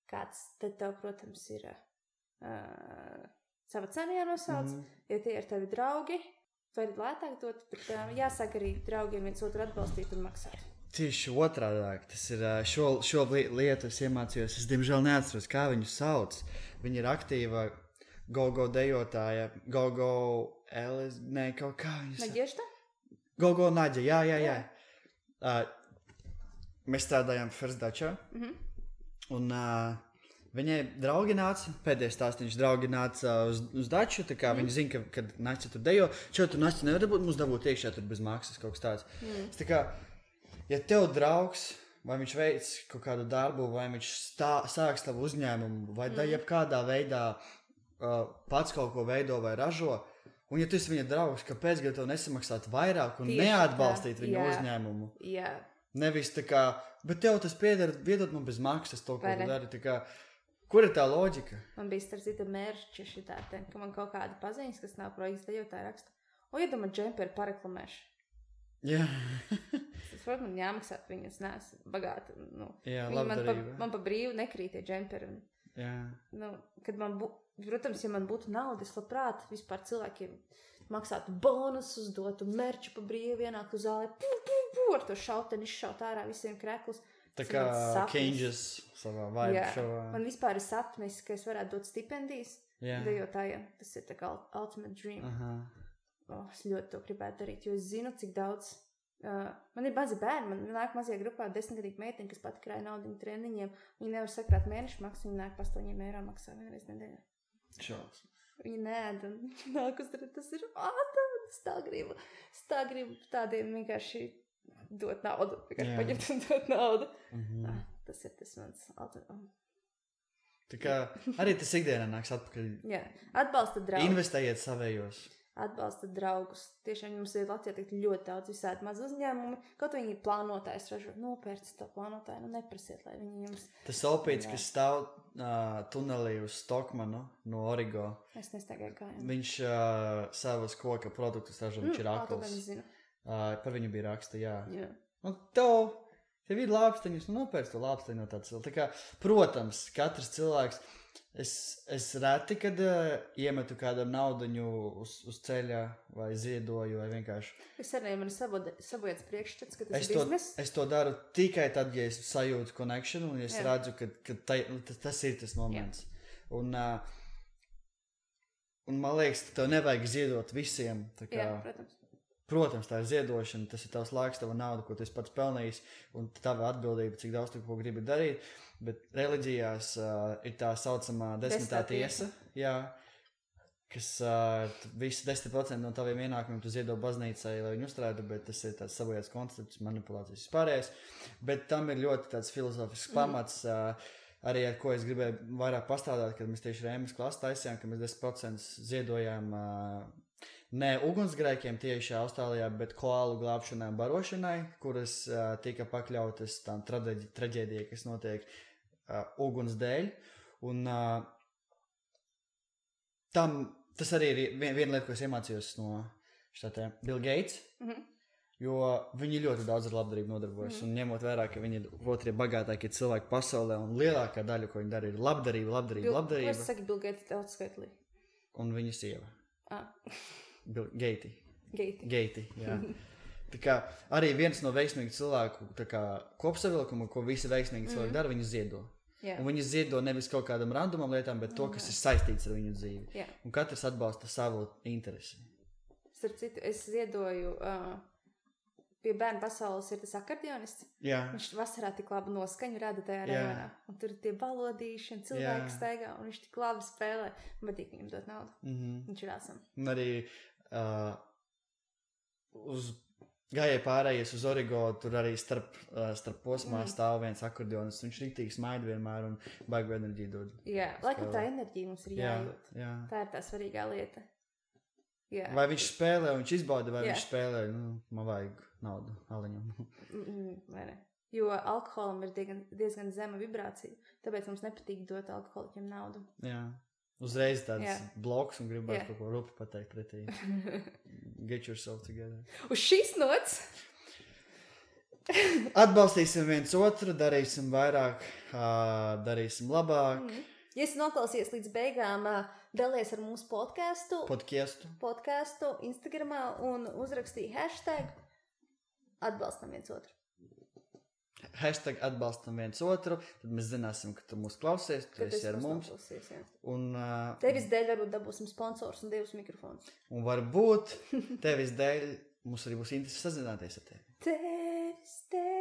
kāds, tad tev, protams, ir sava cena jānosauc. Ja tie ir tavi draugi, var lētāk dot, bet jāsāk arī draugiem viens otru atbalstīt un maksāt. Tieši otrādāk. Tas ir šo lietu es iemācījos. Es, diemžēl, neatceros, kā viņu sauc. Viņa ir aktīva go-go dejotāja. Go-go Elis, ne, kaut kā viņu sauc. Naģiežda? Go-go Naģa, jā. Mēs strādājām First Dačā. Un viņai draugi nāca, pēdējais stāstiņš draugi nāca uz Daču, tā kā viņi zina, kad Naķa tur dejo. Tur Naķa nevar dabūt, mums dabūt iekšā tur bez maksas kaut kas tāds. Tā kā, ja tev draugs, vai viņš veic kaut kādu darbu, vai viņš sāks tavu uzņēmumu, vai jebkādā veidā pats kaut ko veido vai ražo, un ja tu esi viņa draugs, kāpēc gan tev nesamaksāt vairāk un neatbalstīt viņa uzņēmumu? Jā. Nevis tā kā, bet tev tas pieder, viedot man bez maksas to, ko tu dari. Tā kā, kur ir tā loģika? Man bija starp citu mērķi šitā, ka man kaut kāda paziņas, kas nav projekts dejotāja raksta. Ja man džemperi pareklamēšu. Jā. Tas, protams, man jāmaksāt, viņas neesmu bagāta. Jā, labdarība. Man pa brīvu nekrīt tie džemperi. Kad protams, ja man būtu nauda, es labprāt vispār cilvēkiem maksātu bonusus, dotu merču pa brīvu, ienāktu uz zāli, ar to šauteni izšaut ārā visiem kreklus. Tā kā Kenģis savā vibe šovā. Man vispār ir sapnis, ka es varētu dot stipendijas dejotājiem. Tas ir tā kā ultimate dream. Es ļoti to gribētu darīt, jo es zinu, cik daudz... man ir mazi bērni, man nāk mazajā grupā 10-gadīgi meitiņa, kas pat krāja naudu treniņiem. Viņi nevar sakrāt mēnešu maksu, viņi nāk pa 8 eiro maksā vienreiz nedēļā. Šaus. Viņi nēd un nāk uz tas ir es tā gribu tādiem vienkārši dot naudu, vienkārši paņemt un dot naudu. Tas ir tas mans Tā kā arī tas ikdienā nāks atpakaļ. Atbalsta draugus. Investējiet savējos. Atbalsta draugus. Tiešām mums ir Latvijā ļoti daudz visādi maz uzņēmumi. Kaut viņi plānotājs ražo. Nopērts to plānotāju. Neprasiet, lai viņi jums... Tas opīts, kas stāv tunelī uz Stokmanu no Origo. Es nestaigāju kājām. Viņš savas koka produktus ražo. Viņš ir akls. Par viņu bija raksta, jā. Un tev ir lāpsteņus, nopērts to lāpsteņu no tāds. Tā kā, protams, katrs cilvēks... Es reti, kad iemetu kādam naudaņu uz ceļa vai ziedoju vai vienkārši. Es arī man sabojāts priekšstats, ka tas ir biznes. Es to daru tikai tad, ja es sajūtu connection un es redzu, ka tas ir tas moments. Un man liekas, tev nevajag ziedot visiem. Tā kā, protams. Protams, tā ir ziedošana, tas ir tavs laiks, tava nauda, ko tu esi pats pelnījis, un tava atbildība, cik daudz tu ko gribi darīt. Bet reliģijās ir tā saucamā 10. tiesa, kas visi 10% no taviem ienākumiem tu ziedo baznīcai, lai viņu uzturētu, bet tas ir tāds sabojāts koncepts, manipulācijas vispārējais. Bet tam ir ļoti tāds filozofisks pamats, arī ar ko es gribēju vairāk pastrādāt, kad mēs tieši Rēmas klasi taisījām, ka mēs 10% ziedojām ne ugunsgrēkiem tieši Austrālijā, bet koālu glābšanai un barošanai, kuras tika pakļautas tām traģēdijai, kas notiek uguns dēļ. Un tas arī ir viena lieta, ko es iemācījos no Bill Gates, jo viņi ļoti daudz ar labdarību nodarbojas. Un ņemot vērā, ka viņi ir otrie bagātākie cilvēki pasaulē, un lielākā daļa, ko viņi dara, ir labdarība. Ko es saku Bill Gates daudz skaitlī? Un viņa sieva. Geiti, jā. Tā kā arī viens no veiksmīgu cilvēku kopsavilkumu, ko visi veiksmīgi cilvēki dara, viņi ziedo. Un viņi ziedo nevis kaut kādam randumam lietām, bet to, kas ir saistīts ar viņu dzīvi. Un katrs atbalsta savu interesi. Starp citu, es ziedoju pie bērnu pasaules ir tas akordionists. Viņš vasarā tik labu noskaņu rada tajā rajonā. Un tur ir tie balodīši un cilvēki staigā, un viņš tik labi spēlē. Man patīk viņam dot naudu. Viņš ir āsam. Un arī gājēji pārējies uz Origo, tur arī starp posmā stāv viens akordeonis. Viņš rītīgi smaida vienmēr un baigu enerģiju dod. Laikam tā enerģija mums ir jājūt. Tā ir tā svarīgā lieta. Vai viņš spēlē un viņš izbauda, vai viņš spēlē, man vajag naudu aliņam. Vai ne? Jo alkoholam ir diezgan zema vibrācija, tāpēc mums nepatīk dot alkoholiķiem naudu. Uzreiz tāds bloks un gribētu kaut ko rupi pateikt pretī. Get yourself together. Uz šīs nots! Atbalstīsim viens otru, darīsim vairāk, darīsim labāk. Ja esi noklausies līdz beigām, dalies ar mūsu podcastu Instagramā un uzrakstīja hashtag atbalstam viens otru. Hashtag atbalstam viens otru, tad mēs zināsim, ka tu mūs klausies, tu esi ar mums. Un, tevis dēļ varbūt dabūsim sponsors un 2 mikrofonus. Un varbūt tevis dēļ mums arī būs interesi sazināties ar tevi. Tevis dēļ.